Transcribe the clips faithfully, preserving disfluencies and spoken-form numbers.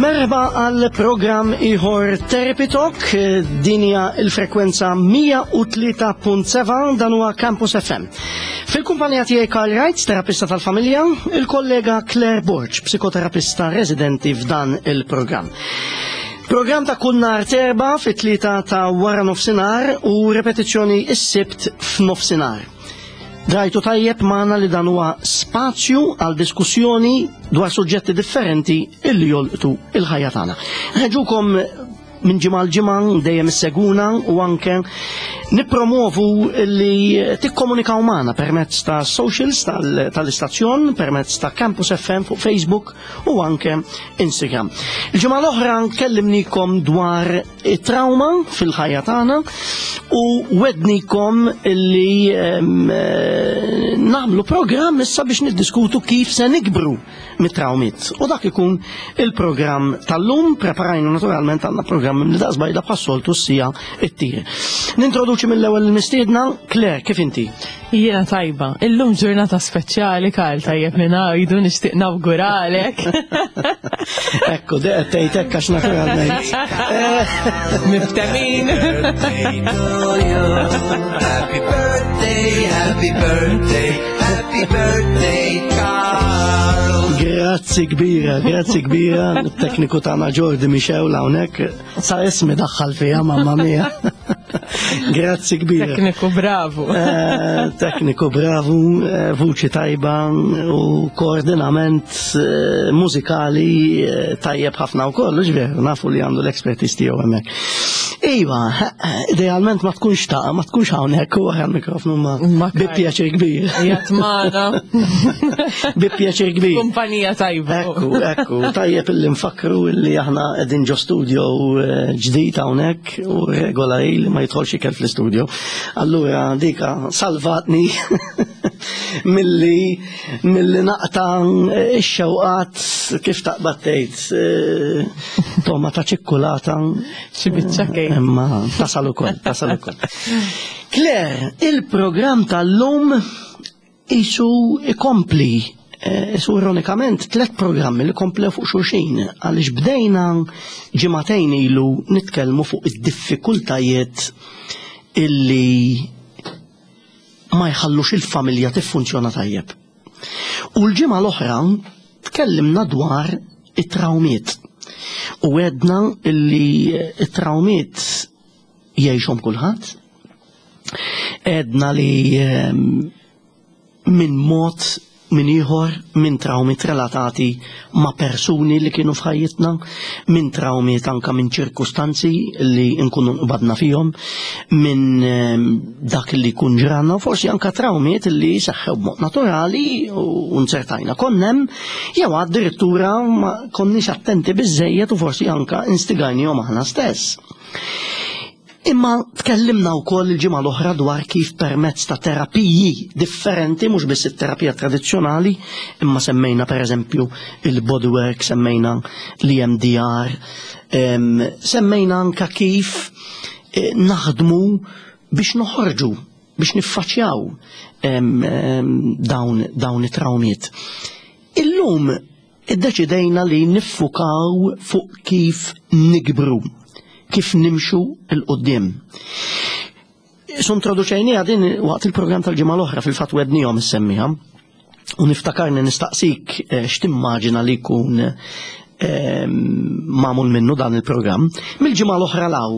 Merħba għal programm ieħor Therapy Talk, din hija il-frekwenza mija u tlieta punt seba', dan huwa Campus F M. Fil-kumpanija tiegħi Karl Wright, terapista tal-familja, il-kollega Claire Borg, psikoterapista residenti f'dan il-programm. Programm ta' kull nhar t'Erbgħa fit-tlieta ta' wara nofsinhar u repetizzjoni is-Sibt f'nofsinhar. Drajtu tajjeb magħna li dan huwa spazju għal diskussjoni dwar suġġetti differenti illi jolqtu il-ħajja tagħna. Ħeġukom minn ġimgħa l ġimgħa dejjem isseguna u anke nippromovu li tikkomunikaw magħna permezz ta' socials tal-istazzjon, permezz ta' Campus F M fuq Facebook u anke Instagram. Il-ġimgħa l-oħra kellimnikom dwar it-trauma fil-ħajja tagħna u wegħednikom li eh, nagħmlu programm issa biex niddiskutu kif se nikbru mit-traumiet. U dak ikun il-programm tal-lum, preparajna naturalment, għandna programm li daqsbajda bħas-soltu s-sija it-tir. Nintroduċi mill-ewwel il-mistiedna, Claire, kif inti? Jiena tajba. Illum ġurnata speċjali, Karl, tajjeb li ngħidu, nixtieq nawguralek. Ekku, deqet tgħid għax naturalment. Miftemin. Happy birthday, happy birthday, happy birthday, Carl. Grazzi kbira, grazzi kbira. Tekniku tagħna Jordi Michel hawnhekk. Sa ismi daħħal fija, mamma mia. Grazzi kbira. Tekniku bravu. Eh, tekniku bravu, eh, vuċi tajba u koordinament eh, mużikali tajjeb ħafna u kollu, ġveru, nafu li għandu l-expertise tiegħu hemmhekk. Iva, idealment ma tkunx ta' ma tkunx hawnhekk u għal mikrofonu ma Ma bi pjaċir kbir. Jatmana. Bi pjaċir kbir. Kumpanija tajba. Ekku, ekku, tajjeb illi nfakru illi aħna qegħdin ġo studio eh, ġdid hawnhekk u regola hi li ma jidħolx ikel fl-studio. Allura dika salvatni milli milli naqta ix-xewqat, kif taqbad tgħid, eh, toma ta' ċikkulata. Xi biċċa kejk. Imma tasal ukoll, tasal ukoll. Claire, il-programm tal-lum isu ikompli eh, Isu ironikament tlet programmi li komplew fuq xulxin, għaliex bdejna ġimagħtejn ilu nitkellmu fuq id-diffikultajiet illi ma jħallux il-familja tiffunzjona tajjeb. U l-ġimgħa l-oħra tkellimna dwar it-trawmiet. U għedna illi it-trawmiet jgħixhom kulħadd. Għedna li ehm, minn mod minn ieħor, minn trawmiet relatati ma' persuni li kienu f'ħajjitna, minn trawmiet anka minn ċirkustanzi li nkunu nqbadna fihom, minn ehm, dak li jkun ġranna, u forsi anka trawmiet li seħħew b'mod naturali u nzertajna konnem, jew addirittura ma konniex attenti biżejjed u forsi anka instigajnihom aħna stess. Imma tkellimna wkoll il-ġimgħa l-oħra dwar kif permezz ta' terapiji differenti, mhux biss it-terapija tradizzjonali, imma semmejna pereżempju il-bodywork, semmejna l-E M D R, em, semmejna anka kif eh, naħdmu biex noħorġu, biex niffaċċjaw em, em, dawn, dawn it-trawmiet. Illum iddeċidejna li niffukaw fuq kif nikbru, kif nimxu 'l quddiem. Su introduċejniha din waqt il-programm tal-ġimgħa l-oħra, fil-fatt wegħedniehom issemmiha. U niftakarni nistaqsik eh, x'timmaġina li jkun eh, magħmul minnu dan il-programm. Mill-ġimgħa l-oħra law,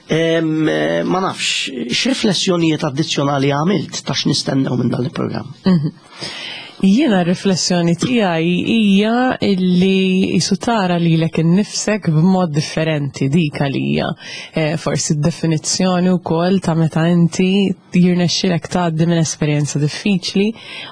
em, eh, ma nafx, x'riflessjonijiet addizzjonali għamilt ta' x'nistennew minn dan il-programm? Jiena riflessjoni tiegħi hija illi jisu tara lilek innifsek b'mod differenti, dik għalija. Eh, forsi d-definizzjoni wkoll ta' meta inti jirnexxilek tgħaddi minn esperjenza diffiċli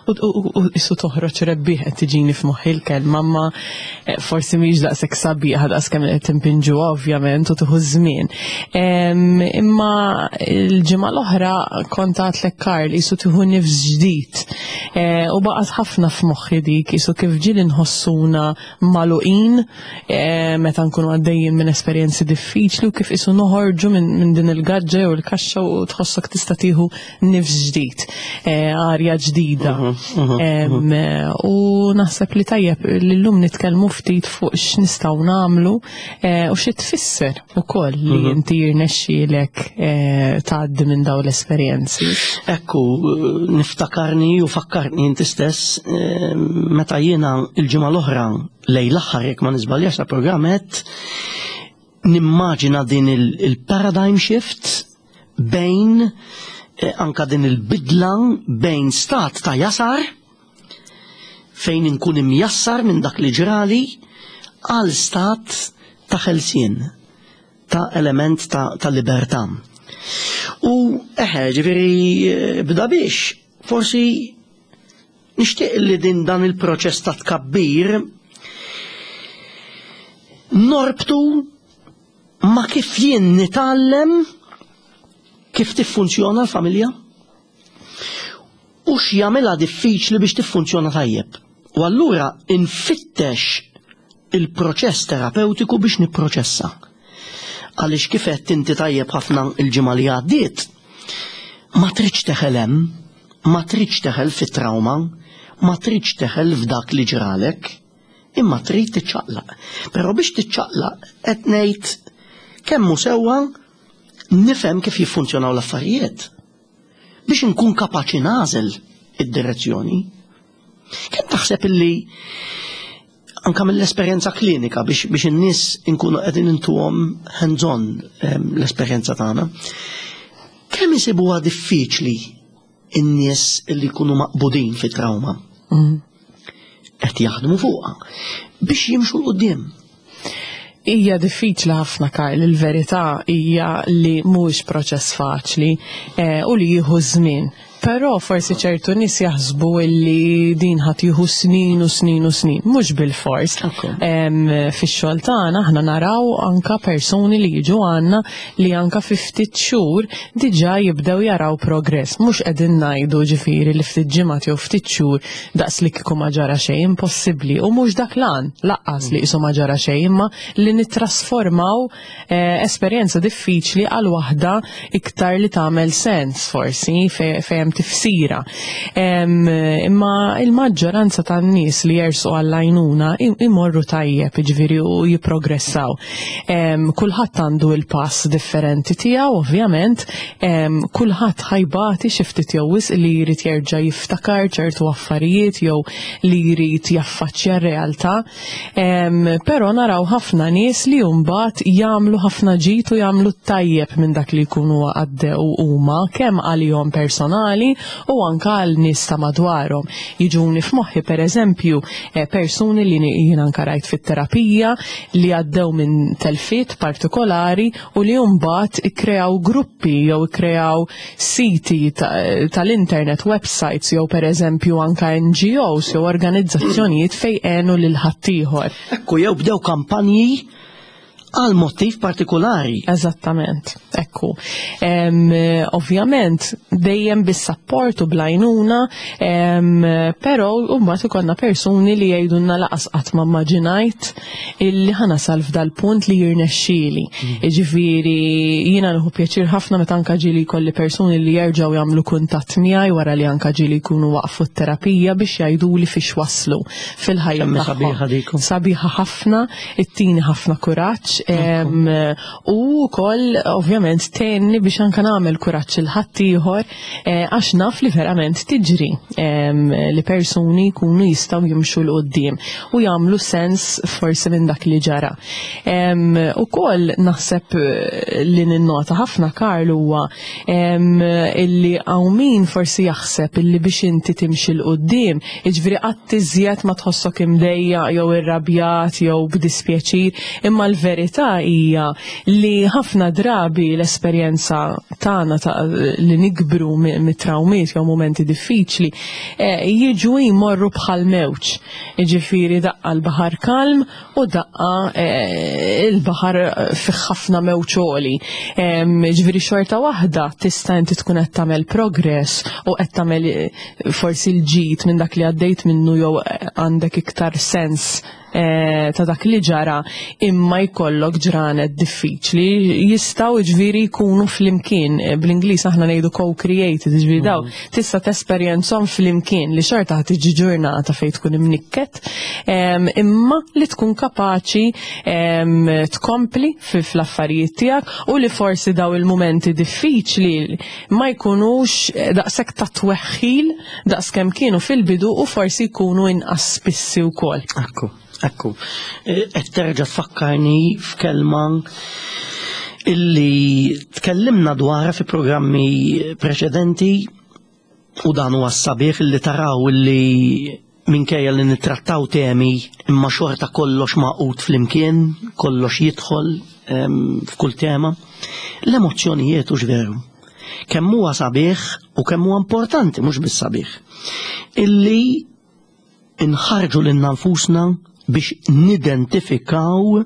u, u, u jisu toħroġ rebbieħ, qed tiġini f'moħħi l-kelma, ma eh, forsi mhix daqshekk sabiħa daqs kemm qed timpinġu ovvjament u tieħu żmien. Em, Imma il-ġimgħa l-oħra kont għedtlek, Karl, jisu tieħu nifs ġdid. Eh, u baqgħet ħafna f'moħħi dik, qisu kif ġieli nħossuna magħluqin eh, meta nkunu għaddejjin minn esperjenzi diffiċli u kif qisu noħorġu minn min din il-gaġġa jew il-kaxxa u tħossok tista' tieħu nifs ġdid, eh, arja ġdida. Em, eh, U naħseb li tajjeb li llum nitkellmu ftit fuq x'nistgħu nagħmlu eh, u xi tfisser ukoll li inti jirnexxielek eh, tgħaddi minn dawn l-esperjenzi. Ekku, niftakarni u fakkarni inti stess eh, meta jiena il-ġimgħa l-oħra lejn l-aħħar, jekk ma niżbaljax, ta' programm qed nimmaġina din il- il-paradigm shift bejn eh, anka din il-bidla bejn stat ta' jasar fejn inkun imjassar minn dak li ġrali għal stat ta' ħelsien, ta' element ta', ta' libertà. U eħe, ġifieri, eh, bda biex, forsi nixtieq li din dan il-proċess ta' tkabbir norbtu ma' kif jien nitgħallem kif tiffunzjona l-familja u x'jagħmilha diffiċli biex tiffunzjona tajjeb. U allura infittex il-proċess terapeutiku biex nipproċessa. Għaliex kif qed inti tajjeb ħafna il-ġimgħa li għaddiet, ma tridx teħel hemm, ma tridx teħel fit-trauma, ma tridx teħel f'dak li ġralek, imma trid tiċċaqlaq. Però biex tiċċaqlaq qed ngħid kemm hu sewwa nifhem kif jiffunzjonaw l-affarijiet biex inkun kapaċi nagħżel id-direzzjoni. Kemm taħseb illi anka mill-esperjenza klinika biex, biex in-nies inkunu qegħdin intuhom hands-on em, l-esperjenza tagħna, kemm isibuha diffiċli in-nies li jkunu maqbudin fit-trauma qed jaħdmu fuqha biex jimxu 'l quddiem? Hija diffiċli ħafna, Karl, il-verità hija li mhuwiex proċess faċli eh, u li jieħu żmien. Però forsi ċertu nies jaħsbu illi din ħa tieħu snin u snin u snin, mhux bil-fors. Ekku. Em, Fix-xogħol tagħna aħna naraw anka persuni li jiġu għandna li anka fi ftit xhur diġà jibdew jaraw progress. Mhux qegħdin ngħidu ġifieri li ftit ġimgħat jew ftit xhur daqs li kieku ma ġara xejn, impossibbli. U mhux dak l-għan lanqas li qisu ma ġara xejn, imma li nittrasformaw eh, esperjenza diffiċli għal waħda iktar li tagħmel sens forsi fe- fejn tifsira. Em, Imma il-maġġoranza tan-nies li jersu għall-għajnuna im- imorru tajjeb, ġifieri, u jipprogressaw. Em, Kulħadd għandu il-pass differenti tiegħu, ovvjament, em, kulħadd ħa jbati xi ftit jew wisq li jrid jerġa' jiftakar ċertu affarijiet jew li jrid jaffaċċja r-realtà. Em, Però naraw ħafna nies li mbagħad jagħmlu ħafna ġid u jagħmlu tajjeb minn dak li jkunu għaddew huma, kemm għalihom personali u anka għal nies ta' madwarhom. Jiġuni f'moħħi, pereżempju, eh, persuni li jien anka rajt fit-terapija li għaddew minn telfiet partikolari u li mbagħad ikkreaw gruppi jew ikkreaw siti ta- tal-internet, websites jew pereżempju anka N G Os jew organizzazzjonijiet fejn għenu lil ħaddieħor. Ekku, jew bdew kampanji għal motiv partikolari. Eżattament, ekku. Em, ovvjament, dejjem bis-support u bl-għajnuna, em, però mbagħad ikollna persuni li jgħidulna lanqas qatt ma immaġinajt illi ħa nasal f'dal-punt li jirnexxieli. Jiġifieri jiena nieħu pjaċir ħafna meta anka ġieli jkolli persuni li jerġgħu jagħmlu kuntatt miegħi wara li anka ġieli jkunu waqfu t-terapija biex jgħiduli fiex waslu fil-ħajja Kemm tagħhom. sabiħa dik. Sabiħa ħafna, ittini ħafna kuraġġ em, u wkoll ovvjament tgħinni biex anka nagħmel kuraġġ lil ħaddieħor eh, għax naf li verament tiġri em, li persuni jkunu jistgħu jimxu 'l quddiem u jagħmlu sens forsi minn dak li ġara. Em, Ukoll naħseb eh, li ninnota ħafna, Karl, huwa em, illi hawn min forsi jaħseb illi biex inti timxi 'l quddiem, jiġifieri qatt iżjed ma tħossok imdejjaq jew irrabjat jew b'dispjaċir, imma l-verità Il-verità hija li ħafna drabi l-esperjenza tagħna ta' li nikbru mit-trawmiet jew momenti diffiċli eh, jiġu jmorru bħal mewġ. Jiġifieri daqqa l-baħar kalm u daqqa eh, il-baħar fih ħafna mewġ għoli. Ġifieri xorta waħda tista' inti tkun qed tagħmel progress u qed tagħmel eh, forsi l-ġid minn dak li għaddejt minnu jew għandek iktar sens eh, ta' dak li ġara, imma jkollok ġranet diffiċli jistgħu ġifieri jkunu flimkien. Bl-Ingliż aħna ngħidu co-created, ġifieri daw tista' tesperjenzhom flimkien, li xorta ħa tiġi ġurnata fejn tkun imnikket, em, imma li tkun kapaċi em, tkompli fi fl-affarijiet tiegħek u li forsi daw il-momenti diffiċli ma jkunux eh, daqshekk ta' tweħħil daqs kemm kienu fil-bidu u forsi jkunu inqas spissi wkoll. Ekku, ekku. Qed terġa' tfakkarni f'kelma illi tkellimna dwarha fi programmi preċedenti, u dan huwa sabiħ illi taraw illi minkejja li nittrattaw temi imma xorta kollox magħqud flimkien, kollox jidħol em, f'kull tema. L-emozzjonijiet, hux veru? Kemm huwa sabiħ u kemm huwa importanti, mhux biss sabiħ, illi inħarġu lilna nfusna biex nidentifikaw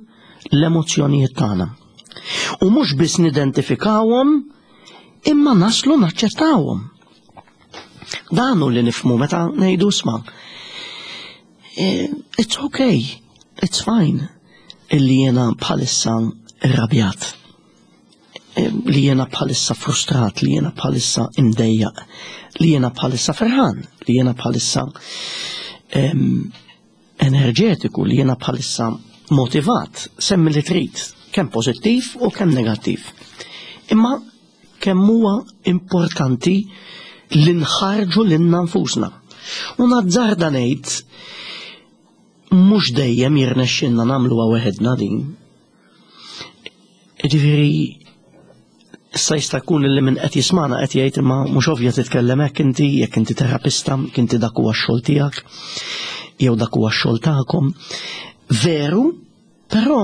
l-emozzjonijiet tagħna. U mhux biss nidentifikawhom, imma naslu naċċettawhom. Dan hu li nifhmu meta ngħidu, "Isma', eh, it's okay, it's fine illi jiena bħalissa irrabjat, Eh, li jiena bħalissa frustrat, li jiena bħalissa imdejjaq, li jiena bħalissa ferħan, li jiena bħalissa em, enerġetiku, li jiena bħalissa motivat", semmi li trid, kemm pożittiv u kemm negattiv. Imma kemm huwa importanti li nħarġu lilna nfusna. U nazzarda ngħid mhux dejjem jirnexxinna nagħmluha weħedna din. Ġifieri issa jista' jkun li min qed jismana qed jgħid, "Imma mhux ovvja titkellem hekk inti, jekk inti terapista, inti dak huwa x-xogħol tiegħek jew dak huwa x-xogħol tagħkom." Veru, però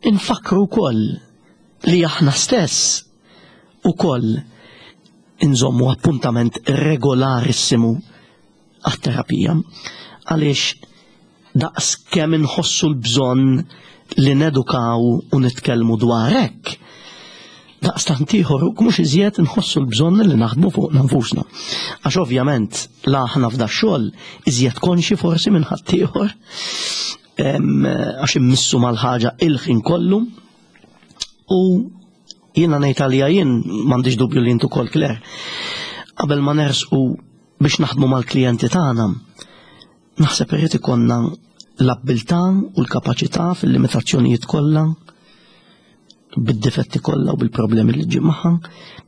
infakru wkoll li aħna stess ukoll inżommu appuntament regolarissimu għat-terapija, għaliex daqs kemm inħossu l-bżonn li nedukaw u nitkellmu dwar hekk, daqstant ieħor u mhux iżjed nħossu l-bżonn li naħdmu fuq nfusna. Għax ovvjament la aħna f'da xogħol iżjed konxi forsi minn ħaddieħor, em, għax immissu mal-ħaġa il-ħin kollu, u jiena ngħid għalija jien, m'għandix dubju li intu kol, Claire, qabel ma nersqu biex naħdmu mal-klijenti tagħna, naħseb irrid ikollna l-abbiltà u l-kapaċità fil-limitazzjonijiet kollha, bid-difetti kollha u bil-problemi li ġib magħha,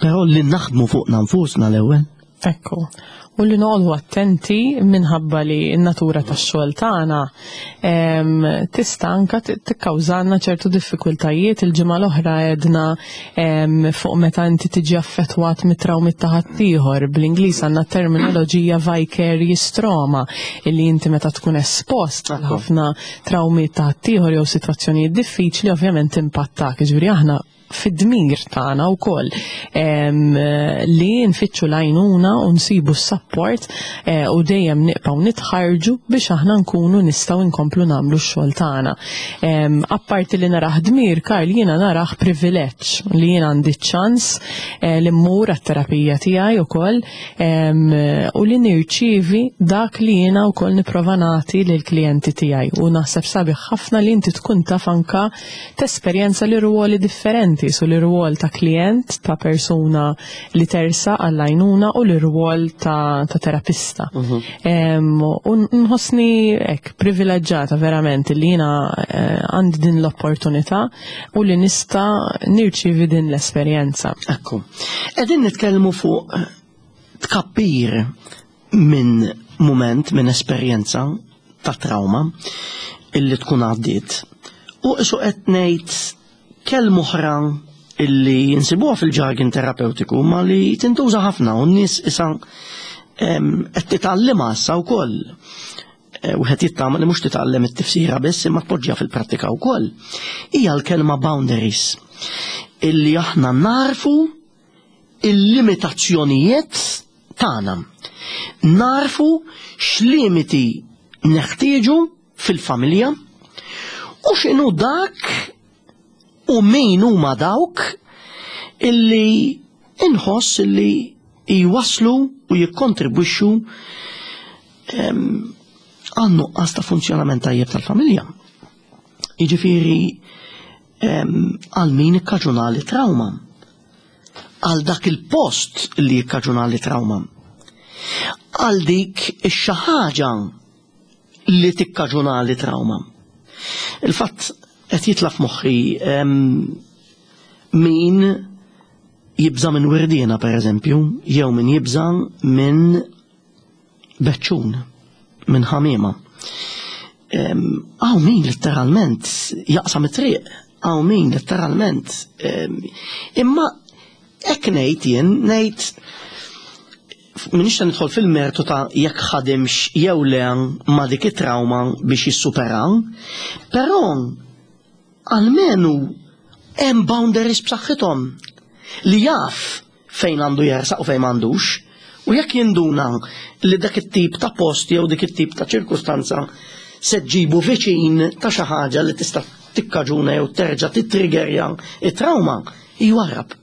però li naħdmu fuqna nfusna l-ewwel. Ekku. U li noqogħdu attenti minħabba li n-natura tax-xogħol tagħna em, tista' anka t- tikkawżalna ċertu diffikultajiet. Il-ġimgħa l-oħra għedna em, fuq meta inti tiġi affettwat mit-trawmi ta' ħaddieħor. Bl-Ingliż għandna terminoloġija vicarious trauma, illi inti meta tkun espost għal ħafna trawmi ta' ħaddieħor jew sitwazzjonijiet diffiċli, ovvjament impattak. Ġifieri aħna fid-dmir tagħna wkoll em, li nfittxu l-għajnuna u nsibu s-support eh, u dejjem nibqgħu nitħarġu biex aħna nkunu nistgħu nkomplu nagħmlu x-xogħol tagħna. Em, Apparti li narah dmir, Karl, jiena narah privileġġ li jiena għandi ċans eh, li mmur għat-terapija tiegħi wkoll em, u li nirċievi dak li jiena wkoll nipprova nagħti lill-klijenti tiegħi, u naħseb sabiħ ħafna li inti tkun taf anka tesperjenza li ruoli differenti, su li rwol ta' klient, ta' persuna li tersaq għall-għajnuna, u li rwol ta', ta terapista. Em, U nħossni hekk privileġġata verament li jiena eh, għandi din l-opportunità u li nista' nirċievi din l-esperjenza. Ekku. Qegħdin nitkellmu fuq tkabbir minn moment, minn esperjenza ta' trauma illi tkun għaddiet. U isu qed ngħid kelma oħra illi nsibuha fil-jargon terapeutiku ma li tintuża ħafna u n-nies issa em, qed titgħallimha issa wkoll. wieħed jittama li mhux titgħallem it-tifsira biss imma tpoġġiha fil-prattika wkoll, hija l-kelma boundaries, illi aħna narfu il-limitazzjonijiet tagħna. Narfu x'limiti neħtieġu fil-familja u x'inhu dak u min huma dawk illi inħoss illi jwaslu u jikkontribwixxu għal nuqqas ta' funzjonament tajjeb tal-familja. Jiġifieri għal min ikkaġunali trauma, għal dak il-post li jikkaġunali trauma, għal dik ix-xi ħaġa li tikkaġunali trauma. Il-fatt qed jitla' f'moħħi min jibża' minn wirdiena pereżempju, jew min jibża' minn beċċun, minn ħamiema. Hawn min letteralment jaqsam it-triq, hawn min letteralment. Imma hekk ngħid jien, ngħid minix ta' nidħol fil-mertu ta' jekk ħadimx jew le ma' dik it-trauma biex jissupera, però almenu hemm boundaries b'saħħithom li jaf fejn għandu jersaq u fejn m'għandux, u jekk jinduna li dak it-tip ta' post jew dik it-tip ta' ċirkustanza se ġibu viċin ta' xi ħaġa li tista' tikkaġuna jew terġa' titriggerja it-trauma, jwarrab.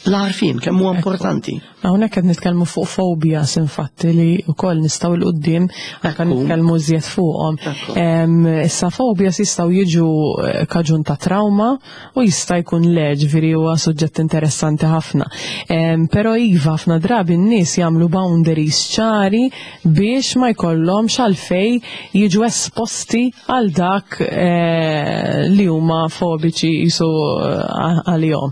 L-għarfien kemm huwa importanti. Hawnhekk qed nitkellmu fuq phobias infatti li wkoll nistgħu 'l quddiem anke nitkellmu iżjed fuqhom. Issa phobias jistgħu jiġu kaġun ta' trauma u jista' jkun le, ġifieri huwa suġġett interessanti ħafna. Però iva ħafna drabi n-nies jagħmlu boundaries ċari biex ma jkollhomx għalfejn jiġu esposti għal dak li huma fobiċi jisu għalihom.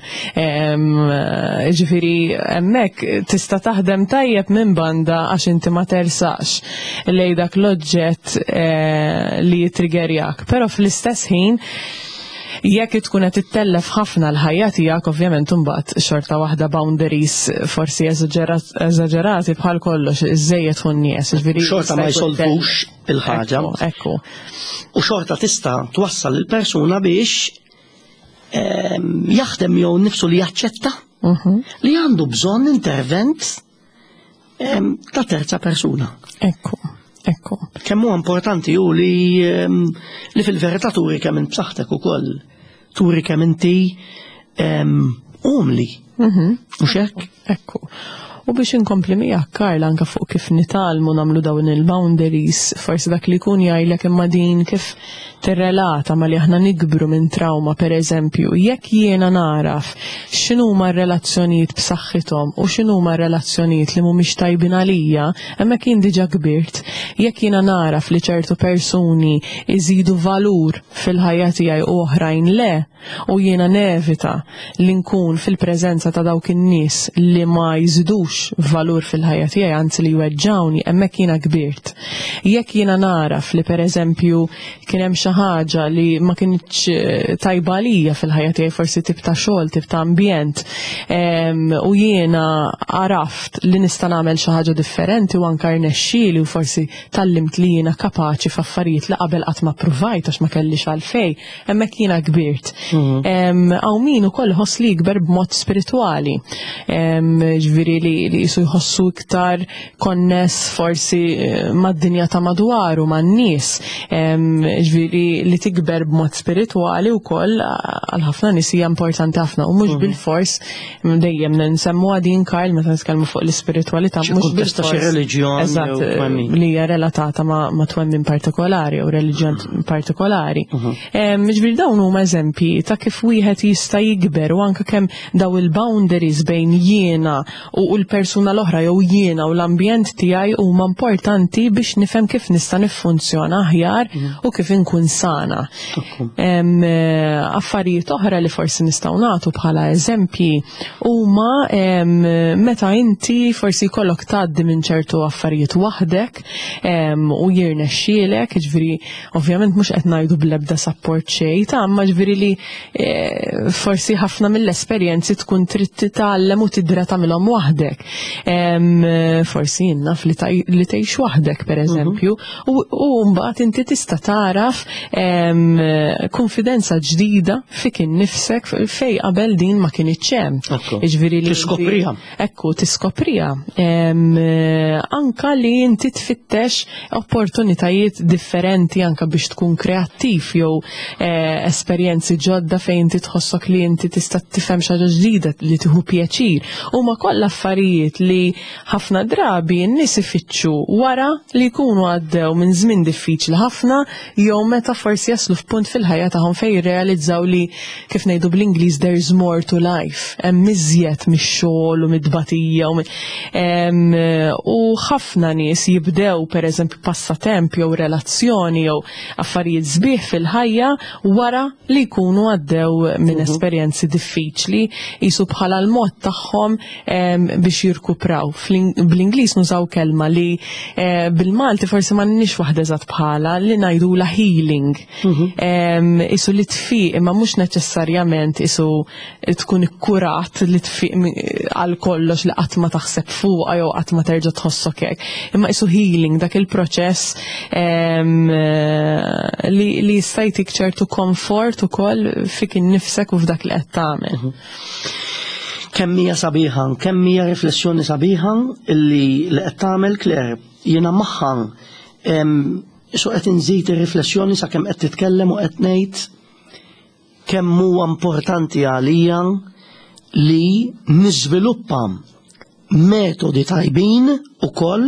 Ġifieri hemmhekk tista' taħdem tajjeb minn banda għax inti ma tersaqx lej dak l-oġġett li jitriggerjak, però fl-istess ħin jekk tkun qed tittellef ħafna l-ħajja tiegħek, ovvjament imbagħad xorta waħda boundaries forsi eżaġerati bħal kollox, iżejjed tkun nies, ġifieri xorta ma jsolvux il-ħaġa. Ekku. U xorta tista' twassal il-persuna biex jaħdem jew nifsu li jaċċetta li għandu bżonn intervent ta' terza persuna. Ekku, ekku. Kemm huwa importanti hu li li fil-verità turi kemm int b'saħħtek ukoll, turi kemm inti umli. Mhux hekk? Ekku. U biex inkompli miegħek Karl anke fuq kif nitgħallmu nagħmlu dawn il-boundaries, forsi dak li jkun jgħidlek imma din kif tirrelata ma li aħna nikbru minn trauma, per eżempju, jekk jiena naraf x'inhuma r-relazzjonijiet b'saħħithom u x'inhuma r-relazzjonijiet li mhumiex tajbin għalija, hemmhekk jien diġà kbirt. Jekk jiena naraf li ċertu persuni iżidu valur fil-ħajja tiegħi u oħrajn le, u jiena nevita li nkun fil-preżenza ta' dawk in-nies li ma jżidux valur fil-ħajja tiegħi, anzi li jweġġawni, hemmhekk jiena kbirt. Jekk jiena naraf li pereżempju kien hemm xi ħaġa li ma kinitx tajba għalija fil-ħajja tiegħi, forsi tip ta' xogħol, tip ta' ambjent, u jiena għaraft li nista' nagħmel xi ħaġa differenti u anke rnexxieli u forsi tallimt li jiena kapaċi f'affarijiet li qabel qatt ma ppruvajt għax ma kellix għalfejn, hemmhekk jiena kbirt. Hawn min ukoll iħoss li jikber b'mod spiritwali, ġifieri li li jisu jħossu iktar konness forsi mad-dinja ta' madwaru, man-nies, ġifieri li tikber b'mod spiritwali wkoll għal ħafna nies hija importanti ħafna u mhux bil-fors dejjem nsemmu din Karl meta nitkellmu fuq l-ispiritwalità, mhux bil-fors xi reliġjon eżatt li hija relatata ma' twemmin partikolari u reliġjon partikolari. Ġifieri dawn huma eżempji ta' kif wieħed jista' jikber u anke kemm daw il-boundaries bejn jiena u l-persuna l-oħra jew jiena u l-ambjent tiegħi huma importanti biex nifhem kif nista' niffunzjona aħjar u kif inkun sana. Affarijiet oħra li forsi nistgħu nagħtu bħala eżempji huma meta inti forsi jkollok tgħaddi minn ċertu affarijiet waħdek u jirnexxielek, ġifieri ovvjament mhux qed ngħidu bl-ebda support xejn, ta' imma ġifieri li eh, forsi ħafna mill-esperjenzi tkun trid titgħallem u tidra tagħmilhom waħdek. Em, forsi jien naf li taj- li tgħix waħdek, pereżempju, u u mbagħad inti tista' taraf em, konfidenza ġdida fik innifsek fej qabel din ma kinitx hemm. Ekku. Jiġifieri li inti- Tiskopriha. Ekku, tiskopriha. Em, eh, anka li inti tfittex opportunitajiet differenti anka biex tkun kreattiv jew eh, esperjenzi ġodda fejn inti tħossok li inti tista' tifhem xi ħaġa ġdida li tieħu pjaċir. Huma kollha affarijiet li ħafna drabi n-nies ifittxu wara li jkunu għaddew minn żmien diffiċli ħafna jew meta forsi jaslu f'punt fil-ħajja tagħhom fejn jirrealizzaw li, kif ngħidu bl-Ingliż, there's more to life. Hemm iżjed mix-xogħol u mid-tbatija u mi- em, u ħafna nies jibdew, pereżempju, passatemp jew relazzjoni jew affarijiet sbieħ fil-ħajja wara li jkunu għaddew minn esperjenzi diffiċli, jisu bħala l-mod tagħhom em, biex jirkupraw. Fl- Bl-Ingliż nużaw kelma li eh, bil-Malti forsi m'għandniex waħda eżatt bħala, li ngħidula healing. Em, Isu li tfiq, imma mhux neċessarjament isu tkun ikkurat li tfiq mi- għal kollox, li qatt ma taħseb fuqha jew qatt ma terġa' tħossok hekk. Imma isu healing, dak il-proċess em, eh, li, li jista' jtik ċertu komfort ukoll fik innifsek u f'dak li qed tagħmel. Kemm hija sabiħa, kemm hija riflessjoni sabiħa illi li qed tagħmel, Claire, jiena magħha em, so qed inżid ir-riflessjoni sakemm qed titkellem u qed ngħid kemm huwa importanti għalija li niżviluppa metodi tajbin ukoll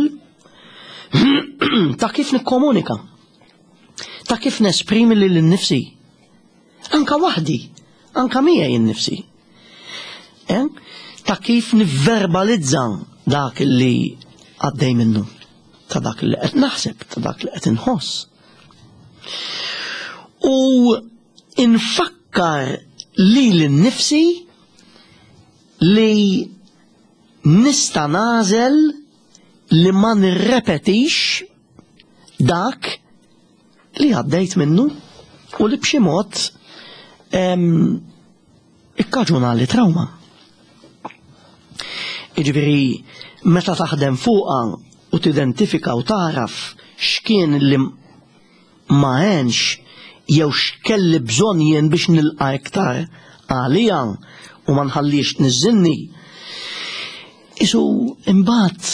ta' kif nikkomunika, ta' kif nesprimi lili nnifsi. Anka waħdi, anka miegħi nnifsi. Eh? Ta' kif nivverbalizza dak li għaddej minnu, ta' dak li qed naħseb, ta' dak li qed inħoss. U infakkar lili nnifsi li nista' nagħżel li ma nirrepetix dak li għaddejt minnu u li b'xi mod em, ikkaġunali trauma. Iġifieri, meta taħdem fuqha u tidentifika u taraf x'kien li ma għenx jew x'kelli bżonn jien biex nilqa' iktar għalija u ma nħallix tniżżilni. Isu imbagħad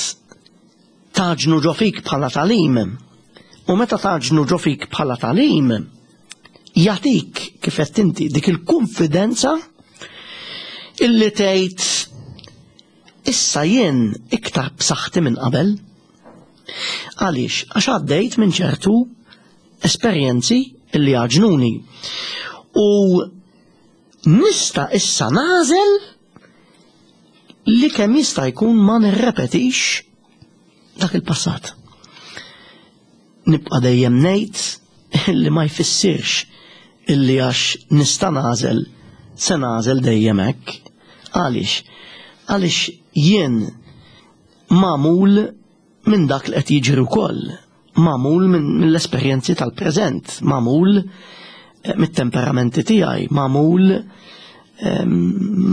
tagħġnu ġo fik bħala tagħlim. U meta tagħġnu ġo fik bħala tagħlim, jagħtik, kif qed inti, dik il-konfidenza illi tgħid, "Issa jien iktar b'saħħti minn qabel." Għaliex? Għax għaddejt minn ċertu esperjenzi illi għaġnuni. U nista' issa nagħżel li kemm jista' jkun ma nirrepetix dak il-passat. Nibqa' dejjem ngħid illi ma jfissirx illi għax nista' nagħżel se nagħżel dejjem hekk. Għaliex? Għaliex jien magħmul minn dak li qed jiġri wkoll, magħmul minn mill-esperjenzi tal-preżent, magħmul eh, mit-temperamenti tiegħi, magħmul em,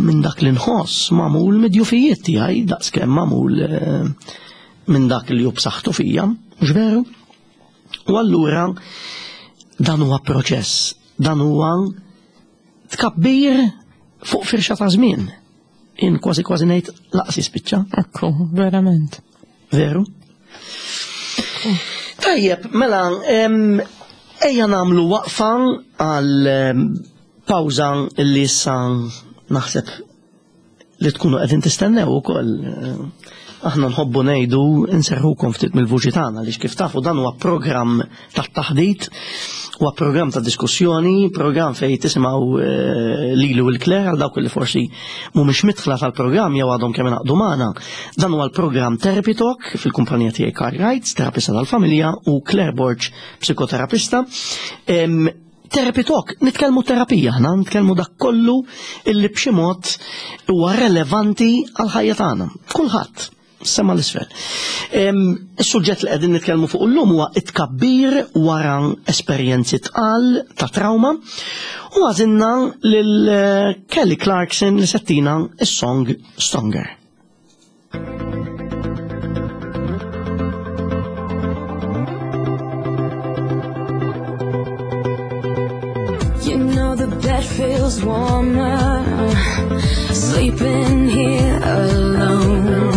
minn dak li nħoss, magħmul mid-djufijiet tiegħi, daqskemm magħmul eh, minn dak li hu b'saħħtu fija, mhux veru? U allura dan huwa proċess, dan huwa tkabbir fuq firxa ta' żmien. In kważi kważi ngħid lanqas jispiċċa. Ekku, verament. Veru? Tajjeb, mela, em, ejja nagħmlu waqfa għal em, pawża li issa naħseb li tkunu qegħdin tistennew ukoll. Aħna nħobbu ngħidu nserħukom ftit mill-vuċi tagħna, għaliex kif tafu dan huwa programm ta' taħdit, huwa programm ta' diskussjoni, programm fejn tisimgħu eh, lili u l-Claire. Għal dawk li forsi mhumiex midħla tal-programm jew għadhom kemm ingħaqdu magħna. Dan huwa l-programm Therapy Talk fil-kumpanija tiegħi Karl Wright, terapista tal-familja, u Claire Borg, psikoterapista. Em, Therapy Talk, nitkellmu terapija, aħna nitkellmu dak kollu illi b'xi mod huwa relevanti għal ħajja tagħna. Kulħadd. Sema l-isfel. Is-suġġett li qegħdin nitkellmu fuq illum huwa it-tkabbir wara esperjenzi tqal ta' trauma u għażilna lil Kelly Clarkson li settina is-song Stronger. You know the bed feels warmer sleeping here alone.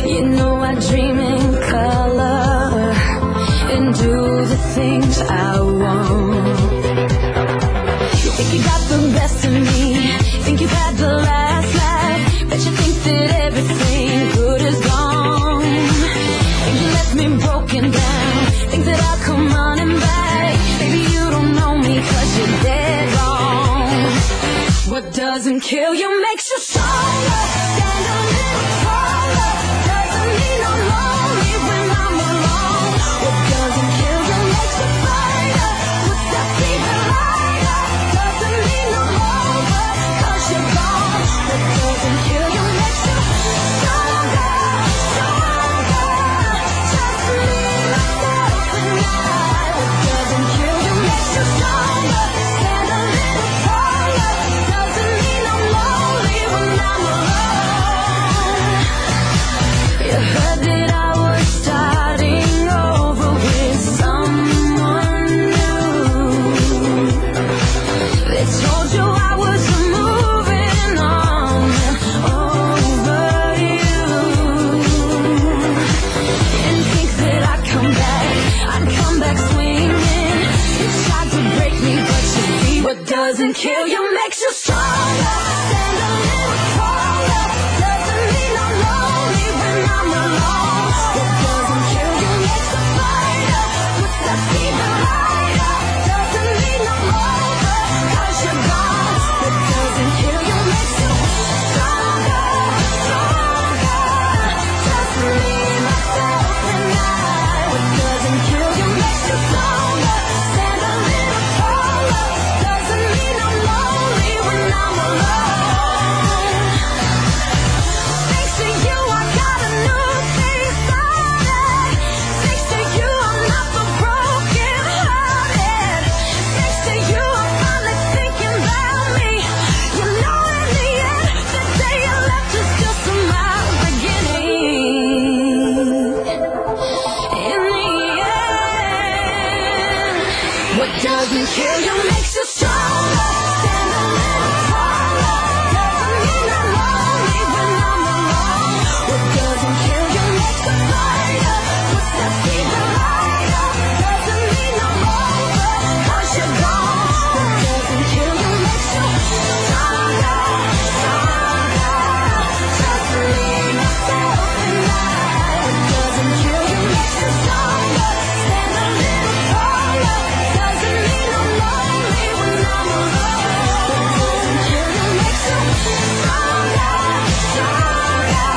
You know I dream in color and do the things I want. You think you got the best of me, think you've had the last laugh, but you think that everything good is gone. Think you left me broken down, think that I'll come running back. Baby, you don't know me 'cause you're dead wrong. What doesn't kill you makes you stronger. Stand a little taller. Doesn't mean I'm lonely when I'm alone. What doesn't kill you makes you fighter. Puts that fever lighter. Doesn't mean I'm over 'cause you're gone. What doesn't kill you makes you stronger, stronger. Just me, myself, and I. What doesn't kill you makes you stronger. Stand a little taller. Doesn't mean I'm lonely when I'm alone. You heard that I was starting over with someone new. They told you I was moving on over you. And think that I'd come back, I'd come back swinging. You tried to break me, but you see what doesn't kill you makes you stronger. Stand a little taller. Doesn't mean I'm lonely when I'm alone. What doesn't kill you makes a fighter. Puts that fever lighter. Doesn't mean I'm over 'cause you're gone. What doesn't kill you makes you stronger, stronger. Just me, myself, and I. What doesn't kill you makes you stronger. Stand a little taller. Doesn't mean I'm lonely when I'm alone. Thanks to you, I got a new thing started. Thanks to you, I'm not the broken hearted. Thanks to you, I'm finally thinking about me. You know, in the end, the day you left is just my beginning. In the end, what doesn't kill you makes you stronger. Stand a little taller. Doesn't mean I'm lonely when I'm alone. What doesn't kill you makes a fighter. Puts that fever lighter. Doesn't mean I'm over 'cause you're gone. What doesn't kill you makes you stronger, stronger. Just me, myself, and I. What doesn't kill you makes you stronger. Stand a little taller. Doesn't mean I'm lonely when I'm alone. What doesn't kill you makes you stronger, stronger.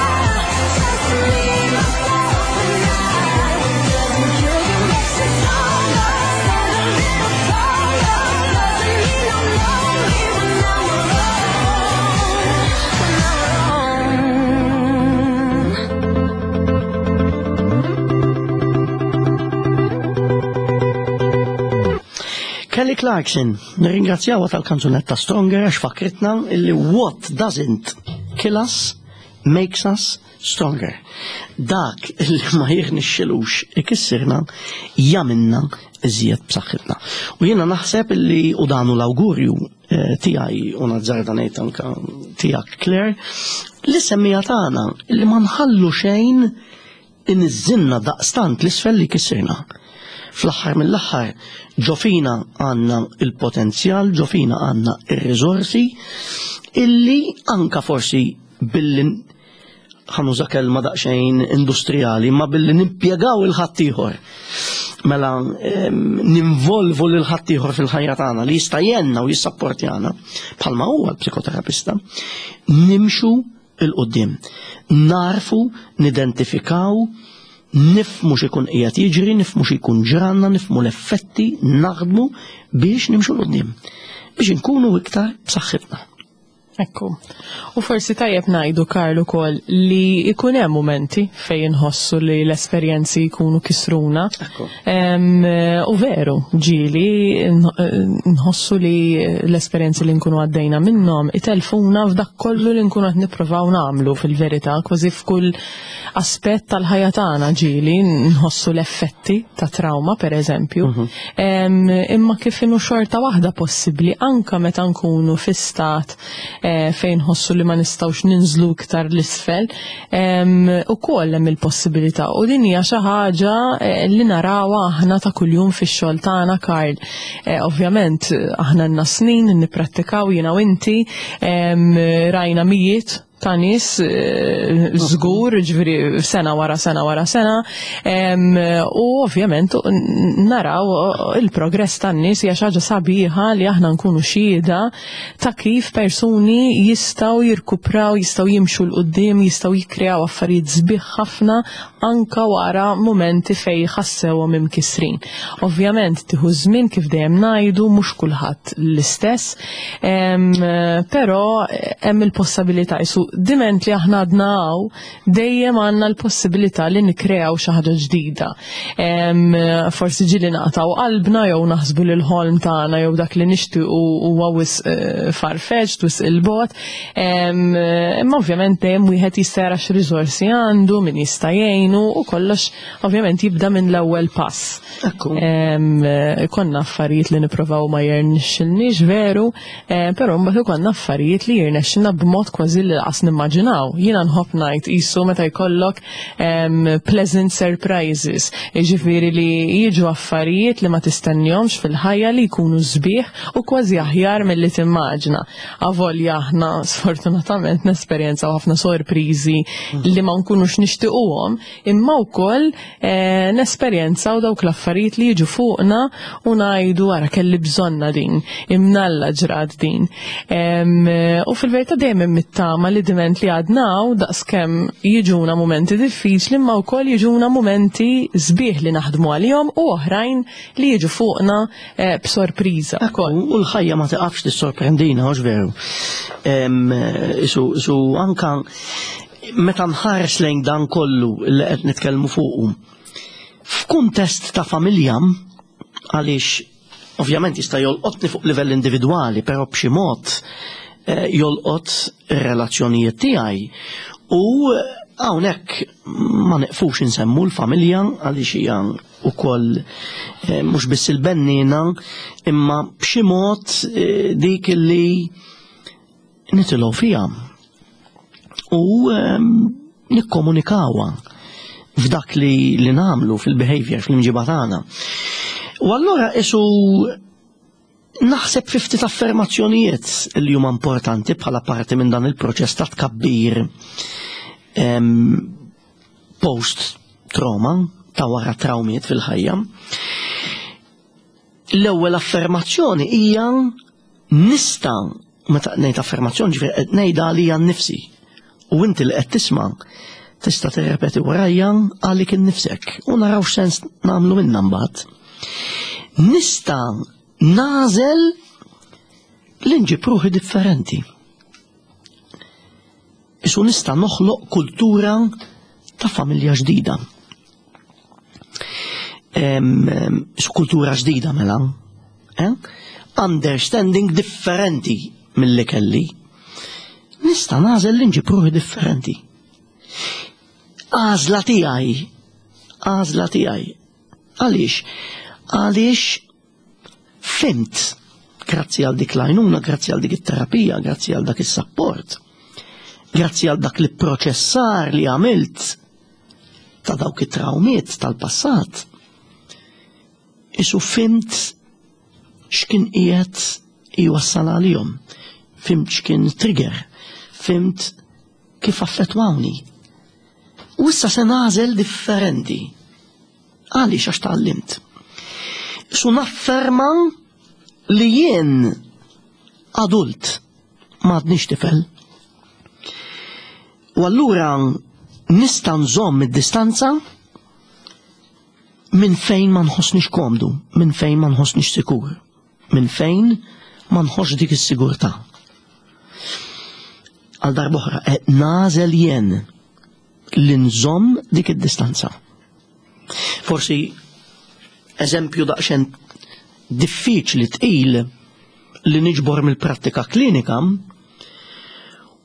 Just me, myself, and I. What doesn't kill you makes you stronger. Stand a little taller. Doesn't mean I'm lonely when I'm alone. When I'm alone. Kelly Clarkson, nirringrazzjawha tal-kanzunetta Stronger għax fakritna illi what doesn't kill us makes us stronger. Dak illi ma jirnexxilux ikissirna jagħmilna iżjed b'saħħitna. U jiena naħseb illi u danu l-awgurju eh, tiegħi u nazzarda ngħid anka tiegħek Claire, li semmija tagħna illi ma nħallu xejn inniżżilna daqstant l-isfel li kissirna. Fl-aħħar mill-aħħar ġo fina għandna il-potenzjal, ġo fina għandna il-riżorsi illi anka forsi billi ħa nuża kelma daqsxejn industrijali, ma billi nimpjegaw il-ħaddieħor. Mela em, ninvolvu lil ħaddieħor fil-ħajja tagħna li jista' jgħinna u jissapportjana bħalma huwa l-psikoterapista, nimxu 'l quddiem. Narfu, nidentifikaw, nifhmu x'ikun qiegħed jiġri, nifhmu x'ikun ġranna, nifhmu l-effetti, naħdmu biex nimxu 'l quddiem. Biex inkunu iktar b'saħħitna. Ekku. U forsi tajjeb ngħidu, Karl, ukoll li ikun hemm momenti fejn inħossu li l-esperjenzi jkunu kisruna. Ekku. Em, U veru, ġieli nħossu li l-esperjenzi li nkunu għaddejna minnhom itelfuna f'dak kollu li nkunu qed nippruvaw nagħmlu fil-verità, kważi f'kull aspett tal-ħajja tagħna ġieli nħossu l-effetti ta' trauma, per eżempju. Em, Imma kif inhu xorta waħda possibbli anka meta nkunu fi stat eh, fejn nħossu li ma nistgħux ninżlu iktar l-isfel, ukoll hemm il-possibilità u din hija xi ħaġa eh, li narawha aħna ta' kuljum fix-xogħol tagħna, Karl. Eh, ovvjament aħna għandna snin nipprattikaw jiena u inti, em, rajna mijiet ta' nies eh, żgur, ġifieri sena wara sena wara sena, em, u ovvjament naraw il-progress tan-nies. Hija xi ħaġa sabiħa li aħna nkunu xhieda ta' kif persuni jistgħu jirkupraw, jistgħu jimxu 'l quddiem, jistgħu jikkreaw affarijiet sbieħ ħafna anka wara momenti fej ħassewhom imkisrin. Ovvjament tieħu żmien, kif dejjem ngħidu, mhux kulħadd l-istess, em, però hemm il-possibilità isu diment li aħna għadna hawn, dejjem għandna l-possibilità li nikkreaw xi ħaġa ġdida. Em, Forsi ġieli naqtgħu qalbna jew naħsbu li l-ħolm tagħna jew dak li nixtiequ huwa wisq eh, farfetched, wisq 'il bogħod. Em, Imma ovvjament dejjem wieħed jista' jara x'riżorsi għandu, min jista' jgħinu u kollox ovvjament jibda minn l-ewwel pass. Ekku. Em, Konna affarijiet li nipprovaw ma jirnexxilniex veru, eh, però mbagħad ikollna affarijiet li jirnexxilna b'mod kważi li lanqas nimmaġinaw. Jiena nħobb ngħid qisu meta jkollok em, pleasant surprises, jiġifieri li jiġu affarijiet li ma tistennihomx fil-ħajja li jkunu sbieħ u kważi aħjar milli timmaġina. Avolja aħna sfortunatament nesperjenzaw ħafna sorpriżi li ma nkunux nixtiequhom, imma wkoll eh, nesperjenzaw dawk l-affarijiet li jiġu fuqna u ngħidu, "Ara, kelli bżonna din, imnalla ġrat din." Em, U fil-verità dejjem hemm it-tama li diment li għadna hawn, daqskemm jiġuna momenti diffiċli, imma wkoll jiġuna momenti sbieħ li naħdmu għalihom u oħrajn li jiġu fuqna eh, b'sorpriża. Ekku, u l-ħajja ma tiqafx tissorprendina, hux veru? Em, Su, su anka meta nħares lejn dan kollu li qed nitkellmu fuqu, f'kuntest ta' familja, għaliex ovvjament jista' jolqotni fuq livell individwali, però b'xi mod eh, jolqot ir-relazzjonijiet tiegħi. U hawnhekk ma neqfux insemmu l-familja għaliex hija wkoll eh, mhux biss il-bennina, imma b'xi mod eh, dik li nitilgħu fiha u ehm, nikkomunikawha f'dak li, li nagħmlu fil-behavior, fl-imġiba tagħna. U allura isu naħseb fi ftit affermazzjonijiet li huma importanti bħala parti minn dan il-proċess ta' tkabbir em, post-trauma, ta' wara traumiet fil-ħajja. L-ewwel affermazzjoni hija nista', meta ngħid affermazzjoni ġifieri qed ngħidha għalija nnifsi. U inti li qed tisma' tista' tirrepeti warajja għalik innifsek u naraw x'sens nagħmlu minnha mbagħad. Nista' nagħżel li nġib ruħi differenti. Isu nista' noħloq kultura ta' familja ġdida. Em, em, Isu kultura ġdida mela. Eh? Understanding differenti mill-li kelli. Nista' nagħżel li nġib ruħi differenti. Għażla tiegħi. Għażla tiegħi. Għaliex? Għaliex fhimt, grazzi għal dik l-għajnuna, grazzi għal dik it-terapija, grazzi għal dak is-sapport, grazzi għal dak li proċessar li għamilt ta' dawk it-traumiet tal-passat. Isu fhimt x'kien qiegħed jwassal għalihom. Fhimt x'kien trigger, fhimt kif affettwawni. U issa se nagħżel differenti. Għaliex? Għax tgħallimt. Su nafferma li jien adult, ma għadnix tifel. U allura nista' nżomm id-distanza minn fejn ma nħossnix komdu, minn fejn ma nħossnix sikur, minn fejn ma nħoss dik is-sigurtà. Għal darb'oħra, qed nagħżel jien li nżomm dik id-distanza. Forsi eżempju daqsxejn diffiċli, tqil, li niġbor mill-prattika klinika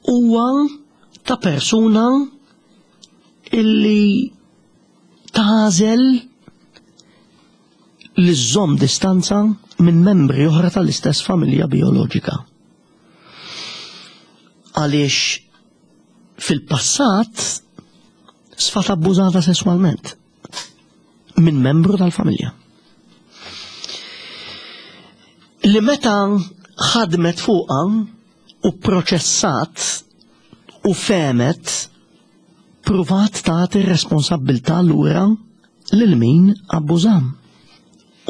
huwa ta' persuna illi tagħżel li żżomm distanza minn membri oħra tal-istess familja bioloġika. Għaliex fil-passat sfat abbużata sesswalment minn membru tal-familja. Li meta ħadmet fuqha u proċessat u fehmet, pruvat tagħti r-responsabbiltà lura lil min abbużam.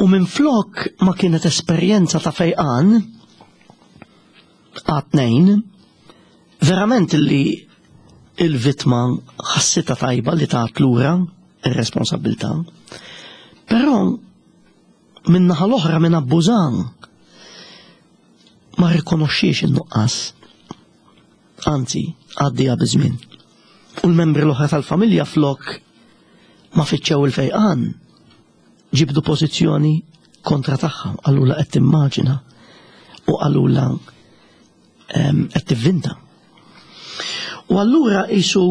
U minn flok ma kienet esperjenza ta' fejqan għat-tnejn, verament li il-vittma ħassitha tajba li tat lura ir-responsabbiltà, però minn naħa l-oħra minn abbużan ma rikonoxxiex in-nuqqas. Anzi, għaddija biż-żmien. U l-membri l-oħra tal-familja flok ma fittxew il-fejqan, ġibdu pożizzjoni kontra tagħha, qalula qed timmaġina u qalula qed tivvinta. U allura qisu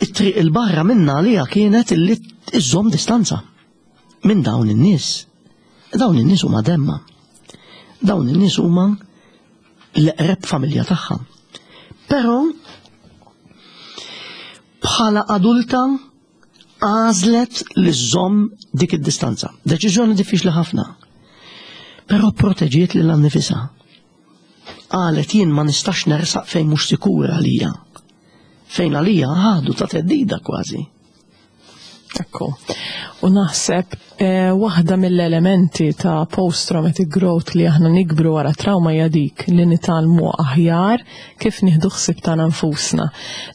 it-triq il-barra minna għalija kienet illi iżżomm distanza minn dawn in-nies. Dawn in-nies huma demma. Dawn in-nies huma l-eqreb familja tagħha. Però bħala adulta għażlet li żżomm dik id-distanza. Deċiżjoni diffiċli ħafna. Però proteġiet lilha nnifisha. Qalet jien ma nistax nersaq fejn mhux sikura għalija. Fejn għalija għadu ta' theddida kważi. Ekku. U naħseb eh, waħda mill-elementi ta' post-traumatic growth li aħna nikbru wara trauma hija dik li nitgħallmu aħjar kif nieħdu ħsieb tagħna nfusna,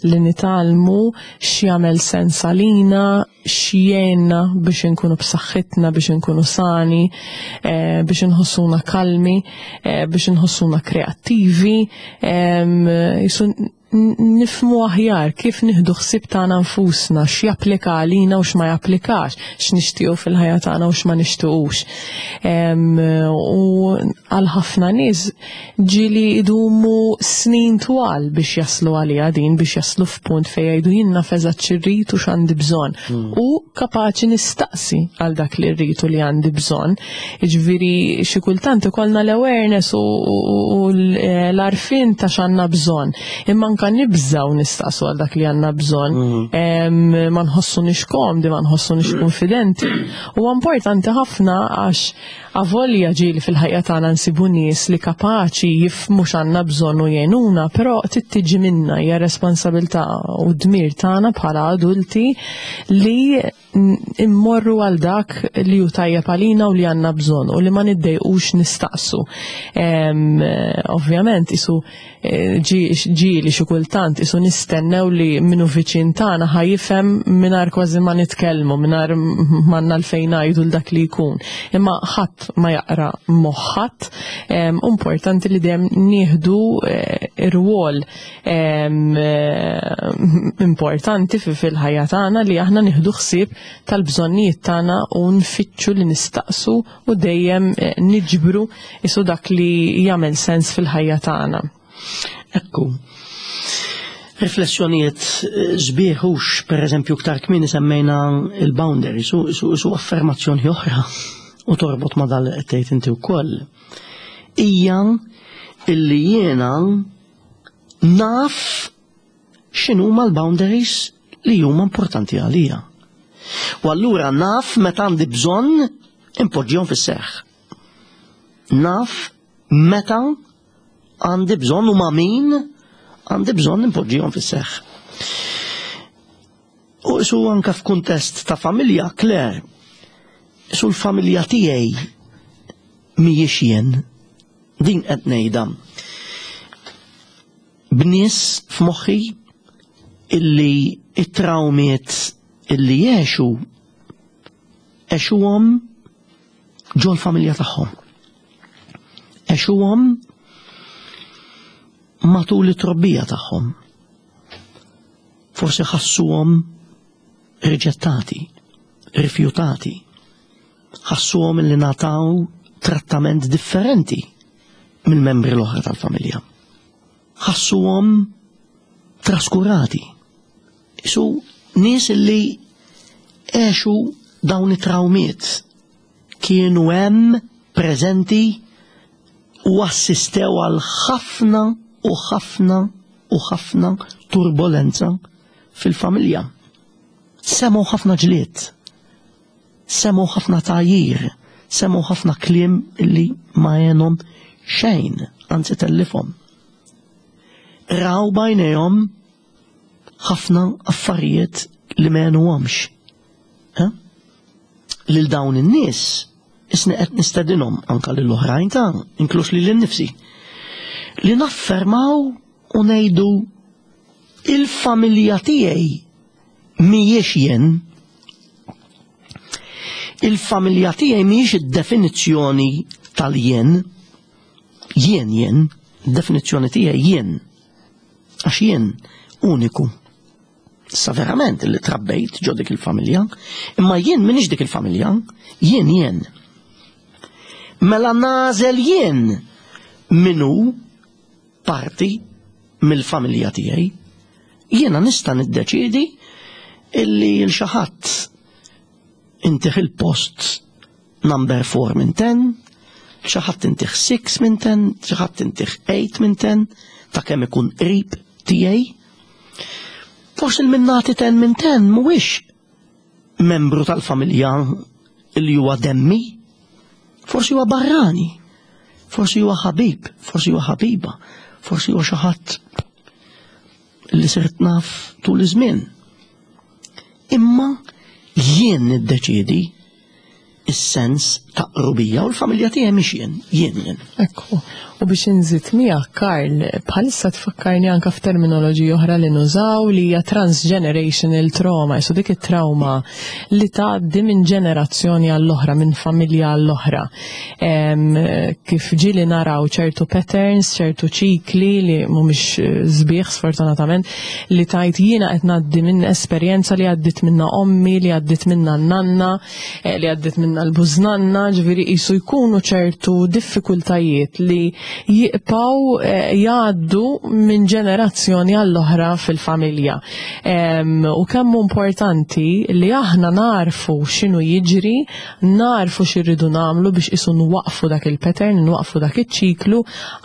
li nitgħallmu x'jagħmel sens għalina, x'jgħinna biex inkunu b'saħħitna, biex inkunu sani, eh, biex inħossuna kalmi, eh, biex inħossuna kreattivi, em, jisu nifhmu aħjar kif nieħdu ħsieb tagħna nfusna, x'japplika għalina u x'ma japplikax, x'nixtiequ fil-ħajja tagħna u x'ma nixtiequx. Em, U għal ħafna nies ġieli idumu snin twal biex jaslu għalija din, biex jaslu f'punt fejn jgħidu jien naf eżatt x'irrid u x'għandi bżonn. U kapaċi nistaqsi għal dak li rrid u li għandi bżonn. Jiġifieri xi kultant ikollna l-awareness u, u, u l-għarfien ta' x'għandna bżonn. Imma anka nibżaw nistaqsu għal dak li għandna bżonn. Em, Ma nħossunix komdi, ma nħossunix konfidenti. U importanti ħafna għax avolja ġieli fil-ħajja tagħna nsibu nies li kapaċi jifhmu x'għandna bżonn u jgħinuna, però trid tiġi minna, hija responsabilità u dmir tagħna bħala adulti li immorru għal dak li hu tajjeb għalina u li għandna bżonn u li ma niddejqux nistaqsu. Em, Ovvjament isu eh, ġieli xi kultant isu nistennew li minnu viċin tagħna ħa jifhem mingħajr kważi ma nitkellmu, mingħajr m'għandna l-fejn ngħidu l dak li jkun. Imma ħadd ma jaqra moħħat, em, importanti li dejjem nieħdu eh, ir-rwol em, eh, importanti fi fil-ħajja tagħna li aħna nieħdu ħsieb tal-bżonnijiet tagħna u nfittxu li nistaqsu u dejjem eh, niġbru isu dak li jagħmel sens fil-ħajja tagħna. Ekku. Riflessjonijiet eh, sbieħ hux, per eżempju, ktar kmieni semmejna il-boundaries, su, su, su affermazzjoni oħra u torbot ma dal qed tgħid inti wkoll. Hija illi jiena naf x'inhuma l-boundaries li huma importanti għalija. U allura naf meta għandi bżonn impoġġihom fis-seħħ. Naf meta għandi bżonn u ma' min għandi bżonn impoġġihom fis-seħħ. U su anka f'kuntest ta' familja, Claire, su l-familja tiegħi mhijiex jien, din qed ngħidha. B'nies f'moħħi illi it-trawmiet illi jgħixu għexuhom ġol familja tagħhom. Għexuhom matul it-trobbija tagħhom. Forsi ħassuhom riġettati, rifjutati, ħassuhom li ngħataw trattament differenti mill-membri l-oħra tal-familja. Ħassuhom traskurati. Isu nies li għexu dawn it-trawmiet kienu hemm preżenti u assistew għal ħafna u ħafna u ħafna turbolenza fil-familja. Semgħu ħafna ġlied, semgħu ħafna tgħajjir, semgħu ħafna kliem illi ma għenhom xejn, anzi tellifhom. Raw b'għajnejhom ħafna affarijiet li ma għenuhomx. Eh? Lil dawn in-nies isni qed nistedinhom anka lil oħrajn ta' inkluż lili nnifsi li naffermaw u ngħidu il-familja tiegħi mhijiex jien. Il-familja tiegħi mhijiex id-definizzjoni tal-jien. Jien jien, definizzjoni tiegħi jien. Għax jien uniku. Sa verament li trabbejt ġo dik il-familja, imma jien m'iniex dik il-familja, jien jien. Mela nagħżel jien min hu parti mill-familja tiegħi. Jiena nista' niddeċiedi illi lil xi ħadd intih il-post number four minn ten, xi ħadd intih six minn ten, xi ħadd intih eight minn ten, ta' kemm ikun qrib tiegħi. Forsi lil min nagħti ten minn ten mhuwiex membru tal-familja li huwa demmi, forsi huwa barrani, forsi huwa ħabib, forsi huwa ħabiba, forsi huwa xi ħadd li sirt naf tul iż-żmien. Imma jien niddeċiedi is-sens ta' qrubija u l-familja tiegħi mhix jien, jien jien. Ekku, u biex inżid miegħek, Karl, bħalissa tfakkarni anka f'terminoloġija oħra li nużaw li hija transgenerational trauma, so dik it-trauma li tgħaddi minn ġenerazzjoni għall-oħra, minn familja għall-oħra. Em, Kif ġieli naraw ċertu patterns, ċertu ċikli li mhumiex eh, sbieħ sfortunatament, li tajt jiena qed ngħaddi minn esperjenza li għaddit minna ommi, li għaddit minna n-nanna, eh, li għaddit minna l-bużnanna, ġifieri qisu jkunu ċertu diffikultajiet li jibqgħu eh, jgħaddu minn ġenerazzjoni għall-oħra fil-familja. Em, U kemm hu importanti li aħna narfu x'inhu jiġri, narfu x'irridu nagħmlu biex qisu nwaqfu dak il-pattern, nwaqfu dak iċ-ċiklu,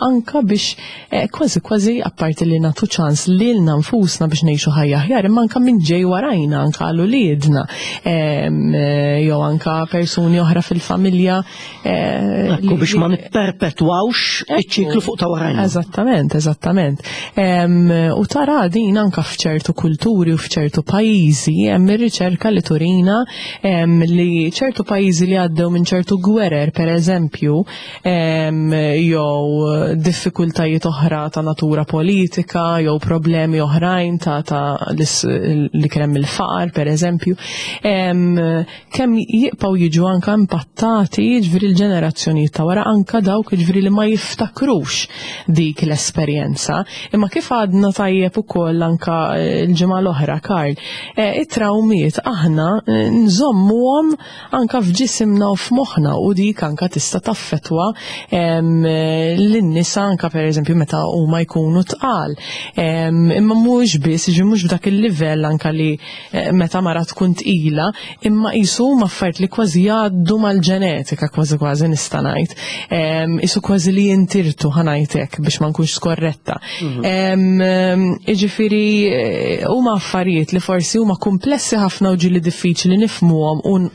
anka biex eh, kważi kważi apparti li nagħtu ċans lilna nfusna biex ngħixu ħajja aħjar, imma anka min ġej warajna, anka għal uliedna, em, eh, jew anka persuni oħra fil-familja. eh, Ekku li- biex ma nipperpetwawx iċ-ċiklu fuq ta' warajna. Eżattament, eżattament. Em, U tara din anka f'ċertu kulturi u f'ċertu pajjiżi hemm ir-riċerka li turina em, li ċertu pajjiżi li għaddew minn ċertu gwerer, per eżempju, em, jew diffikultajiet oħra ta' natura politika, jew problemi oħrajn ta', ta' lis- li kien hemm il-faqar, per eżempju, em, kemm jibqgħu jiġu anka impattati ġifieri l-ġenerazzjonijiet ta' wara, anka dawk ġifieri li ma jiftakrux dik l-esperjenza. Imma kif għadna tajjeb ukoll anka eh, l-ġimgħa l-oħra, Karl, eh, it-trawmiet aħna eh, nżommuhom anka f'ġisimna u f'moħħna u dik anka tista' taffetwa em, eh, lin-nisa anka per eżempju meta huma jkunu tqal. Em, Imma mhux biss, ġi mhux b'dak il-livell anka li eh, meta mara tkun tqila, imma qisu huma affarijiet li kważi jgħaddu mal-ġenetika, kważi kważi nista' ngħid. Em, Qisu kważi li jintirtu, ħa ngħidlek, biex ma nkunx skorretta. Em, em, Jiġifieri eh, huma affarijiet li forsi huma komplessi ħafna u ġieli diffiċli nifhmuhom u n-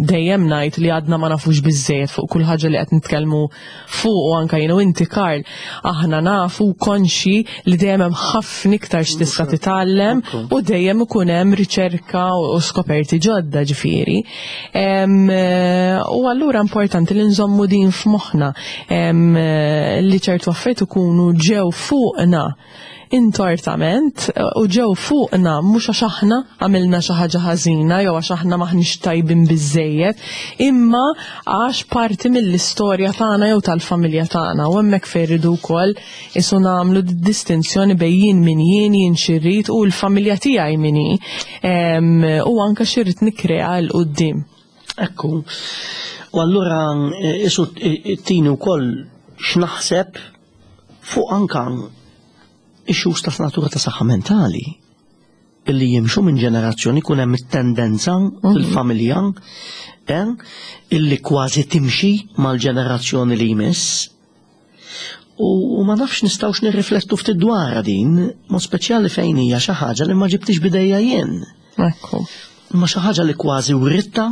dejjem ngħid li għadna ma nafux biżejjed fuq kull ħaġa li qed nitkellmu fuq u anka jien u inti, Karl, aħna nafu konxi li dejjem hemm ħafna iktar x'tista' titgħallem u dejjem ikun hemm riċerka u skoperti ġodda ġifieri. Em, eh, U allura importanti li nżommu din f'moħħna em, eh, li ċertu affarijiet ikunu ġew fuqna intortament u ġew fuqna mhux għax aħna għamilna xi ħaġa ħażina jew għax aħna maħniex tajbin biżejjed, imma għax parti mill-istorja tagħna jew tal-familja tagħna. U hemmhekk fejn irridu wkoll isu nagħmlu distinzjoni bejn jien min jien, jien xirrid u l-familja tiegħi min hi, u anke xirrid nikkrea 'l quddiem. Ekku. U allura isu tini wkoll x'naħseb fuq anka issues ta' natura ta' saħħa mentali illi jimxu minn ġenerazzjoni, kun hemm tendenza fil-familja eh, illi kważi timxi mal-ġenerazzjoni li jmiss. U, u ma nafx nistgħux nirriflettu ftit dwarha din, ma speċjali fejn hija xi ħaġa li ma ġibtix bidejja jien. Ekku. Ma xi ħaġa li kważi writta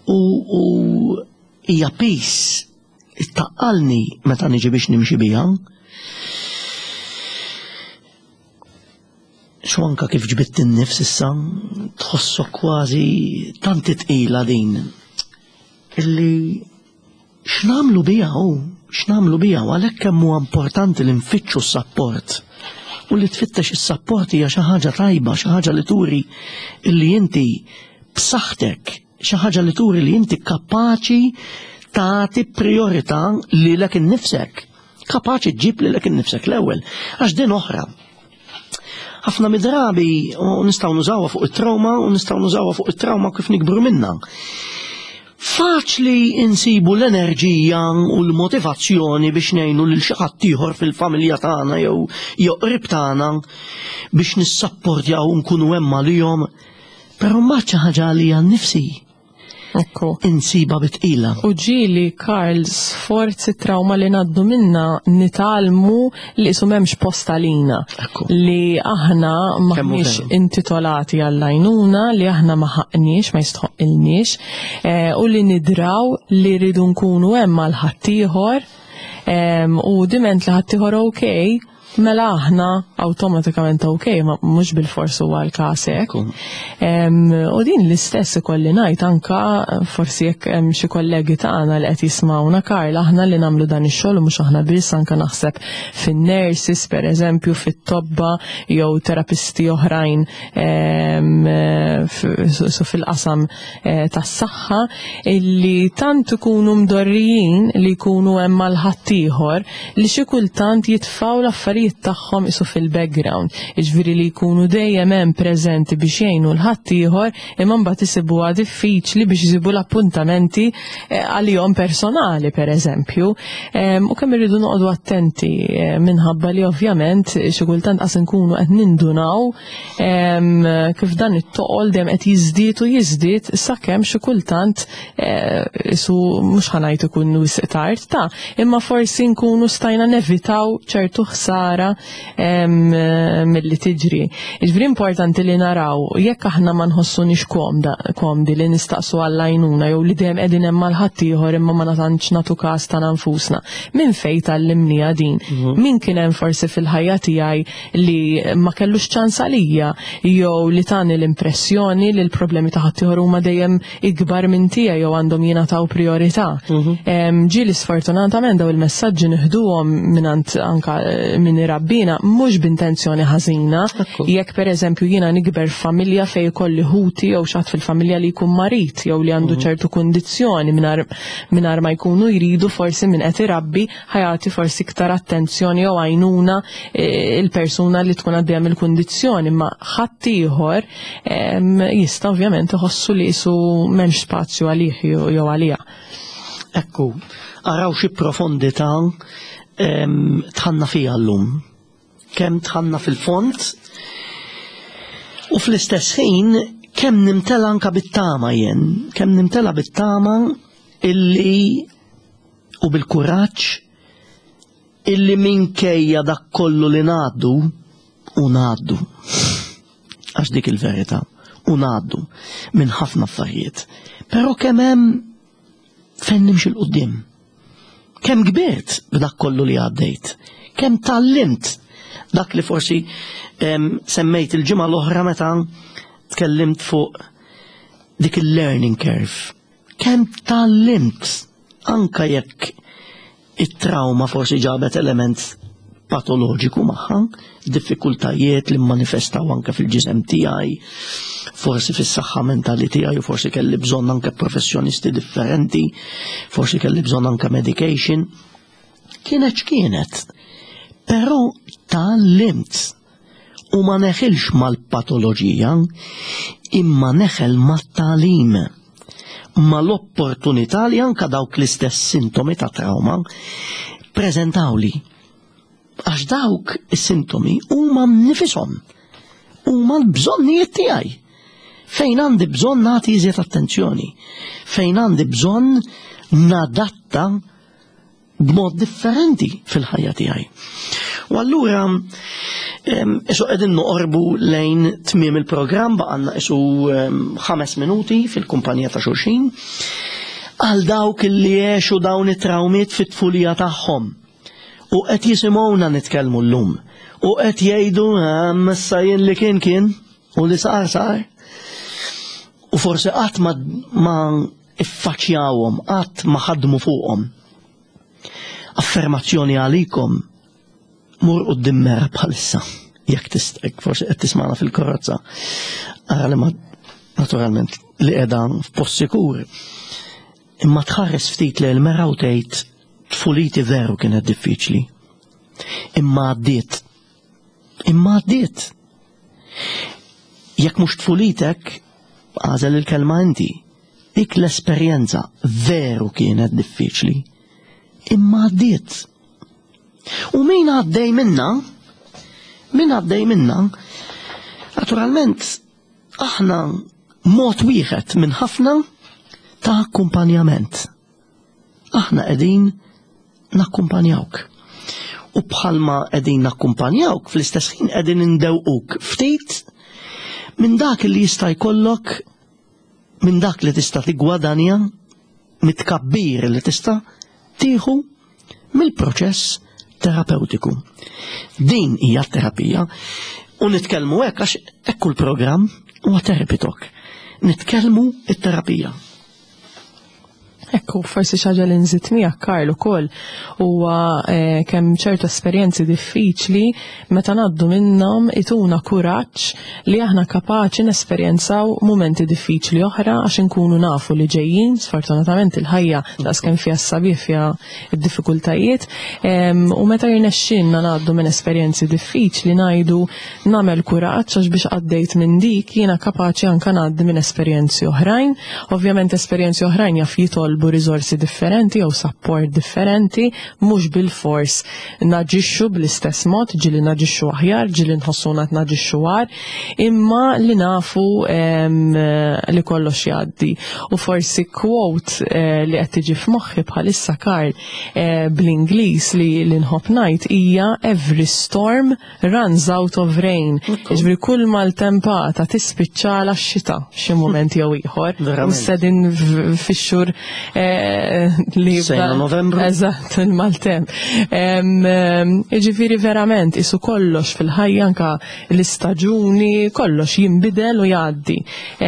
u, u hija piż ittaqqalni meta niġi biex nimxi biha. Xu anka kif ġbitt in-nifs issa tħossok kważi tant tqila din illi x'nagħmlu biha hu, x'nagħmlu biha, u għalhekk kemm huwa importanti li nfittxu s-sapport. U li tfittex is-sapport hija xi ħaġa tajba, xi ħaġa li turi illi inti b'saħħtek, xi ħaġa li turi li inti kapaċi tagħti priorità lilek innifsek. Kapaċi ġġib lilek innifsek l-ewwel, għax din oħra. Ħafna midrabi u nistgħu nużawha fuq it-trauma u nistgħu nużawha fuq it-trauma kif nikbru minnha. Faċli insibu l-enerġija u l-motivazzjoni biex ngħinu lil xi ħadd ieħor fil-familja tagħna jew jew qrib tagħna biex nissapportjaw u nkunu hemm għalihom, però mbagħad xi ħaġa għalija nnifsi. Ekku. Insiba bitqila. U ġieli, Karl, sforzi trauma li naddu minna nitgħallmu li isu m'hemmx post għalina. Ekku. Li aħna Kemm hu maħniex veru. intitolati għall-għajnuna, li aħna ma ħaqniex, ma jistħoqilniex, eh, u li nidraw li rridu nkunu hemm għal ħaddieħor, em, u diment li ħaddieħor okej, mela aħna awtomatikament okej, ma mhux bil-fors huwa l-każ hekk. Ekku. Em, u din l-istess ikolli ngħid anka forsi jekk hemm xi kollegi tagħna li qed jismawna, Karl, aħna li nagħmlu dan ix-xogħol u mhux aħna biss, anka naħseb fin-nurses pereżempju, fit-tobba jew terapisti oħrajn, em, f-, su fil-qasam, eh, tas-saħħa, illi tant ikunu mdorrijin li jkunu hemm mal ħaddieħor li xi kultant jitfgħu l-affarijiet tagħhom isu fil-background, jiġifieri li jkunu dejjem hemm preżenti biex jgħinu l-ħaddieħor, imma mbagħad isibuha diffiċli biex isibu l-appuntamenti, eh, għalihom personali pereżempju. Em, u kemm irridu noqogħdu attenti, eh, minħabba li ovvjament xi kultant qas inkunu qed nindunaw, em, kif dan it-toqol dejjem qed jiżdied u jiżdied sakemm xi kultant, eh, isu mhux ħanajt ikun wisq tard ta', imma forsi nkunu stajna nevitaw ċertu ħsara em, milli tiġri. Jiġifieri importanti li naraw jekk aħna ma nħossunix komda, komdi li nistaqsu għall-għajnuna jew li dejjem qegħdin hemm mal ħaddieħor imma ma tantx nagħtu każ ta' nfusna. Min fejn tgħallimniha din? Mhm. Min kien hemm forsi fil-ħajja tiegħi li ma kellux ċans għalija jew li tani l-impressjoni li l-problemi ta' ħaddieħor huma dejjem ikbar minn tiegħi jew għandhom jingħataw priorità. Mhm. Em, ġieli sfortunatament daw il-messaġġi nieħduhom mingħand anka, eh, min irabbina mhux b'intenzjoni ħażina. Ekku. Jekk pereżempju jiena nikber f'familja fejn ikolli ħuti jew xi ħadd fil-familja li jkun marid jew li għandu Mhm. ċertu kundizzjoni mingħajr, mingħajr ma jkunu jridu, forsi min qed irabbi ħajati forsi iktar attenzjoni jew għajnuna, eh, il-persuna li tkun għaddejja mill-kundizzjoni, imma ħaddieħor, em, jista' ovvjament iħossu li qisu m'hemmx spazju għalih jew, jew għaliha. Ekku, araw xi profondità, em, tħanna fija llum. Kemm tħanna fil-fond u fl-istess ħin kemm nimtela anka bit-tama jien, kemm nimtela bit-tama illi u bil-kuraġġ illi minkejja dak kollu li ngħaddu u ngħaddu. Għax dik il-verità, u ngħaddu minn ħafna affarijiet. Però kemm hemm fejn nimxi 'l quddiem. Kemm kbirt b'dak kollu li għaddejt, kemm tgħallimt dak li forsi, em, semmejt il-ġimgħa l-oħra meta tkellimt fuq dik il-learning curve. Kemm tgħallimt anka jekk it-trauma forsi ġabet element patoloġiku magħha, diffikultajiet li manifestaw anke fil-ġisem tiegħi, forsi fis-saħħa mentali tiegħi, u forsi kelli bżonn anke professjonisti differenti, forsi kelli bżonn anke medication. Kienet x'kienet, però tgħallimt u ma neħilx mal-patoloġija, imma neħel mat-tagħlim, mal-opportunità li anka dawk l-istess sintomi ta' trauma prezentawli. Għax dawk is-sintomi huma nifishom, huma l-bżonnijiet tiegħi. Fejn għandi bżonn nagħti iżjed attenzjoni, fejn għandi bżonn nadatta b'mod differenti fil-ħajja tiegħi. U allura isu qegħdin noqorbu lejn tmiem il-programm, baqgħalna isu ħames minuti fil-kumpanija ta' xulxin. Għal dawk li għexu dawn it-trawmiet fit-tfulija tagħhom u qed jisimgħuna nitkellmu llum u qed jgħidu issa jien li kien kien u li sar sar. U forsi qatt ma, ma iffaċjawhom, qatt ma ħadmu fuqhom. Affermazzjoni għalikom, mur quddiem mera bħalissa, jekk tista', forsi qed tismagħna fil-karozza, ara li ma naturalment li qiegħda f'post sikur. Imma tħares ftit li l-mera u tgħid tfuliti veru kienet diffiċli. Imma għaddiet. Imma għaddiet. Jekk mhux tfulitek, għażel il-kelma inti. Dik l-esperjenza veru kienet diffiċli. Imma għaddiet. U min għaddej minna, min għaddej minna, naturalment aħna mod wieħed minn ħafna ta' akkumpanjament. Aħna qegħdin nakkumpanjawk. U bħalma qegħdin nakkumpanjawk, fl-istess ħin qegħdin indewquk ftit minn dak li jista' jkollok, minn dak li tista' tiggwadanja, mit-tkabbir li tista' tieħu mill-proċess terapeutiku. Din hija t-terapija u nitkellmu hekk għax hekk il-programm huwa Therapy Talk. Nitkellmu it-terapija. Ekku, forsi xi ħaġa li nżid miegħek, Karl, ukoll huwa eh, kemm ċertu esperjenzi diffiċli meta ngħaddu minnhom ituna kuraġġ li aħna kapaċi nesperjenzaw mumenti diffiċli oħra, għax inkunu nafu li ġejjin. Sfortunatament il-ħajja daqs kemm fiha s-sabiħ fiha d-diffikultajiet, em, u meta jirnexxinna ngħaddu minn esperjenzi diffiċli ngħidu nagħmel kuraġġ għax biex għaddejt minn dik jiena kapaċi anke ngħaddi minn esperjenzi oħrajn. Ovvjament esperjenzi oħrajn jaf jitolbu riżorsi differenti jew support differenti, mhux bil-fors naġixxu bl-istess mod, ġieli naġixxu aħjar, ġieli nħossuna qed naġixxu agħar, imma li nafu em, li kollox jgħaddi. U forsi quote eh, li qed tiġi f'moħħi bħalissa, Karl, eh, bl-Ingliż li li nħobb ngħid hija "Every storm runs out of rain." Jiġifieri kull maltempata tispiċċala x-xita xi mument jew ieħor. Verament. U qegħdin fix-xhur eh, li Sejna Novembru. Eżatt, il-maltemp. Em, em, Jiġifieri verament isu kollox fil-ħajja, anka l-istaġuni, kollox jinbidel u jgħaddi.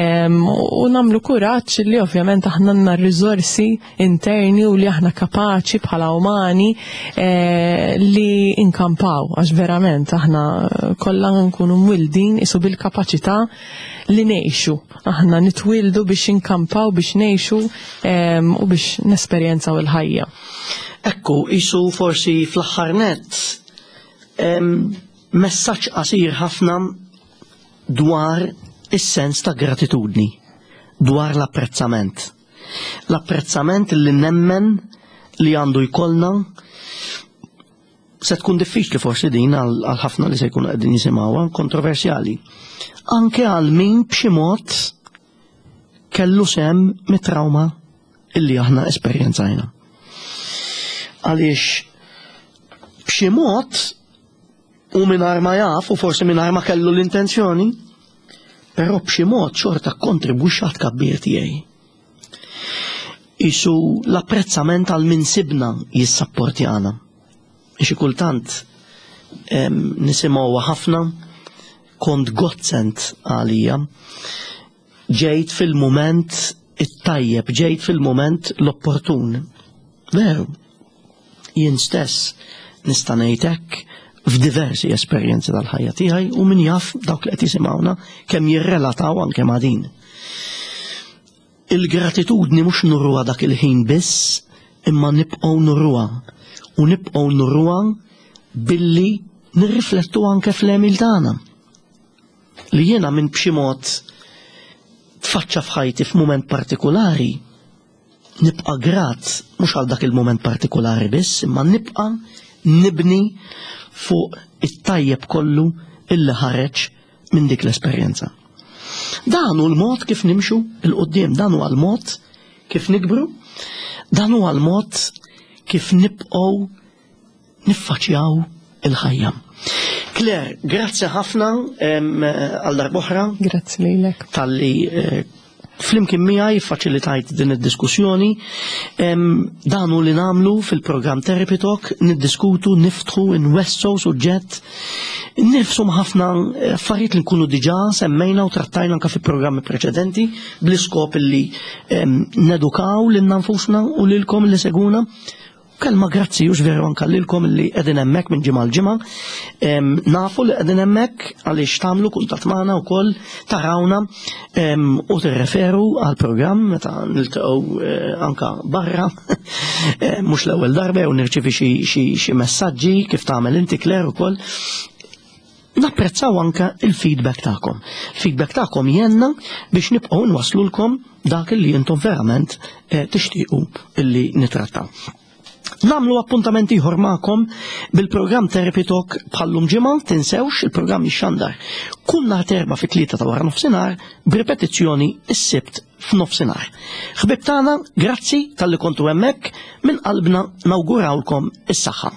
Em, U nagħmlu kuraġġ li ovvjament aħna għandna r-riżorsi interni u li aħna kapaċi bħala umani eh, li inkampaw, għax verament aħna kollha nkunu mwildin isu bil-kapaċità li ngħixu. Aħna nitwildu biex inkampaw, biex ngħixu em, u biex nesperjenzaw il-ħajja. Ekku, isu forsi fl-aħħar nett, em, messaġġ qasir ħafna dwar is-sens ta' gratitudni, dwar l-apprezzament. L-apprezzament li nemmen li għandu jkollna. Se tkun diffiċli forsi din għal għal ħafna li se jkunu qegħdin jisimgħuha, kontroversjali. Anke għal min b'xi mod kellu sem mit-trauma illi aħna esperjenzajna. Għaliex b'xi mod u mingħajr ma jaf u forsi mingħajr ma kellu l-intenzjoni, però b'xi mod xorta kontribwixxa tkabbir tiegħi. Isu l-apprezzament għal min sibna jissapportjana. Xi kultant em, nisimgħuha ħafna, kont godsend għalija, ġejt fil-moment it-tajjeb, ġejt fil-moment l-opportun. Veru, jien stess nista' ngħid hekk. F'diversi esperjenzi tal-ħajja tiegħi u min jaf dawk li qed jisimgħuna kemm jirrelataw anke ma' din. Il-gratitudni mhux nuruha dak il-ħin biss, imma nibqgħu nuruha u nibqgħu nuruha billi nirriflettu anke fl-għemil tagħna. Li jiena minn b'xi mod tfaċċa f'ħajti f'mument partikolari, nibqa' grat mhux għal dak il-mument partikolari biss, imma nibqa' nibni fuq it-tajjeb kollu illi ħareġ minn dik l-esperjenza. Dan hu l-mod kif nimxu 'l quddiem, dan huwa l-mod kif nikbru, dan huwa l-mod kif nibqgħu niffaċċjaw il-ħajja. Claire, grazzi ħafna għal darb'oħra. Grazzi lilek. Talli eh, flimkien miegħi faċilitajt din id-diskussjoni. Dan hu li nagħmlu fil-programm Therapy Talk, niddiskutu, niftħu, nwessgħu suġġett, nifsu ħafna affarijiet li nkunu diġà semmejna u trattajna anke fi programmi preċedenti bl-iskop li nedukaw lil nfusna u lilkom li seguna. Kelma grazzi hux veru anka lilkom li qegħdin hemmhekk minn ġimgħa l-ġimgħa. Nafu li qegħdin hemmhekk għaliex tagħmlu kuntatt magħna wkoll tarawna u tirreferu għal programm meta niltaqgħu eh, anka barra. Mhux l-ewwel darba jew nirċievi xi messaġġi kif tagħmel inti Claire ukoll. Napprezzaw anka il-feedback tagħkom. Feedback tagħkom jgħinna biex nibqgħu nwaslulkom dak li intom verament eh, tixtiequ illi nitrattaw. Nagħmlu appuntament ieħor magħkom bil-programm Therapy Talk bħallum ġimgħa, tinsewx il-programm jixxandar kull nhar t'Erbgħa fit-tlieta ta' wara nofsinhar b'ripetizzjoni s-Sibt f'nofsinhar. Ħbib tagħna, grazzi talli kontu hemmhekk, minn qalbna nawgurawlkom is-saħħa.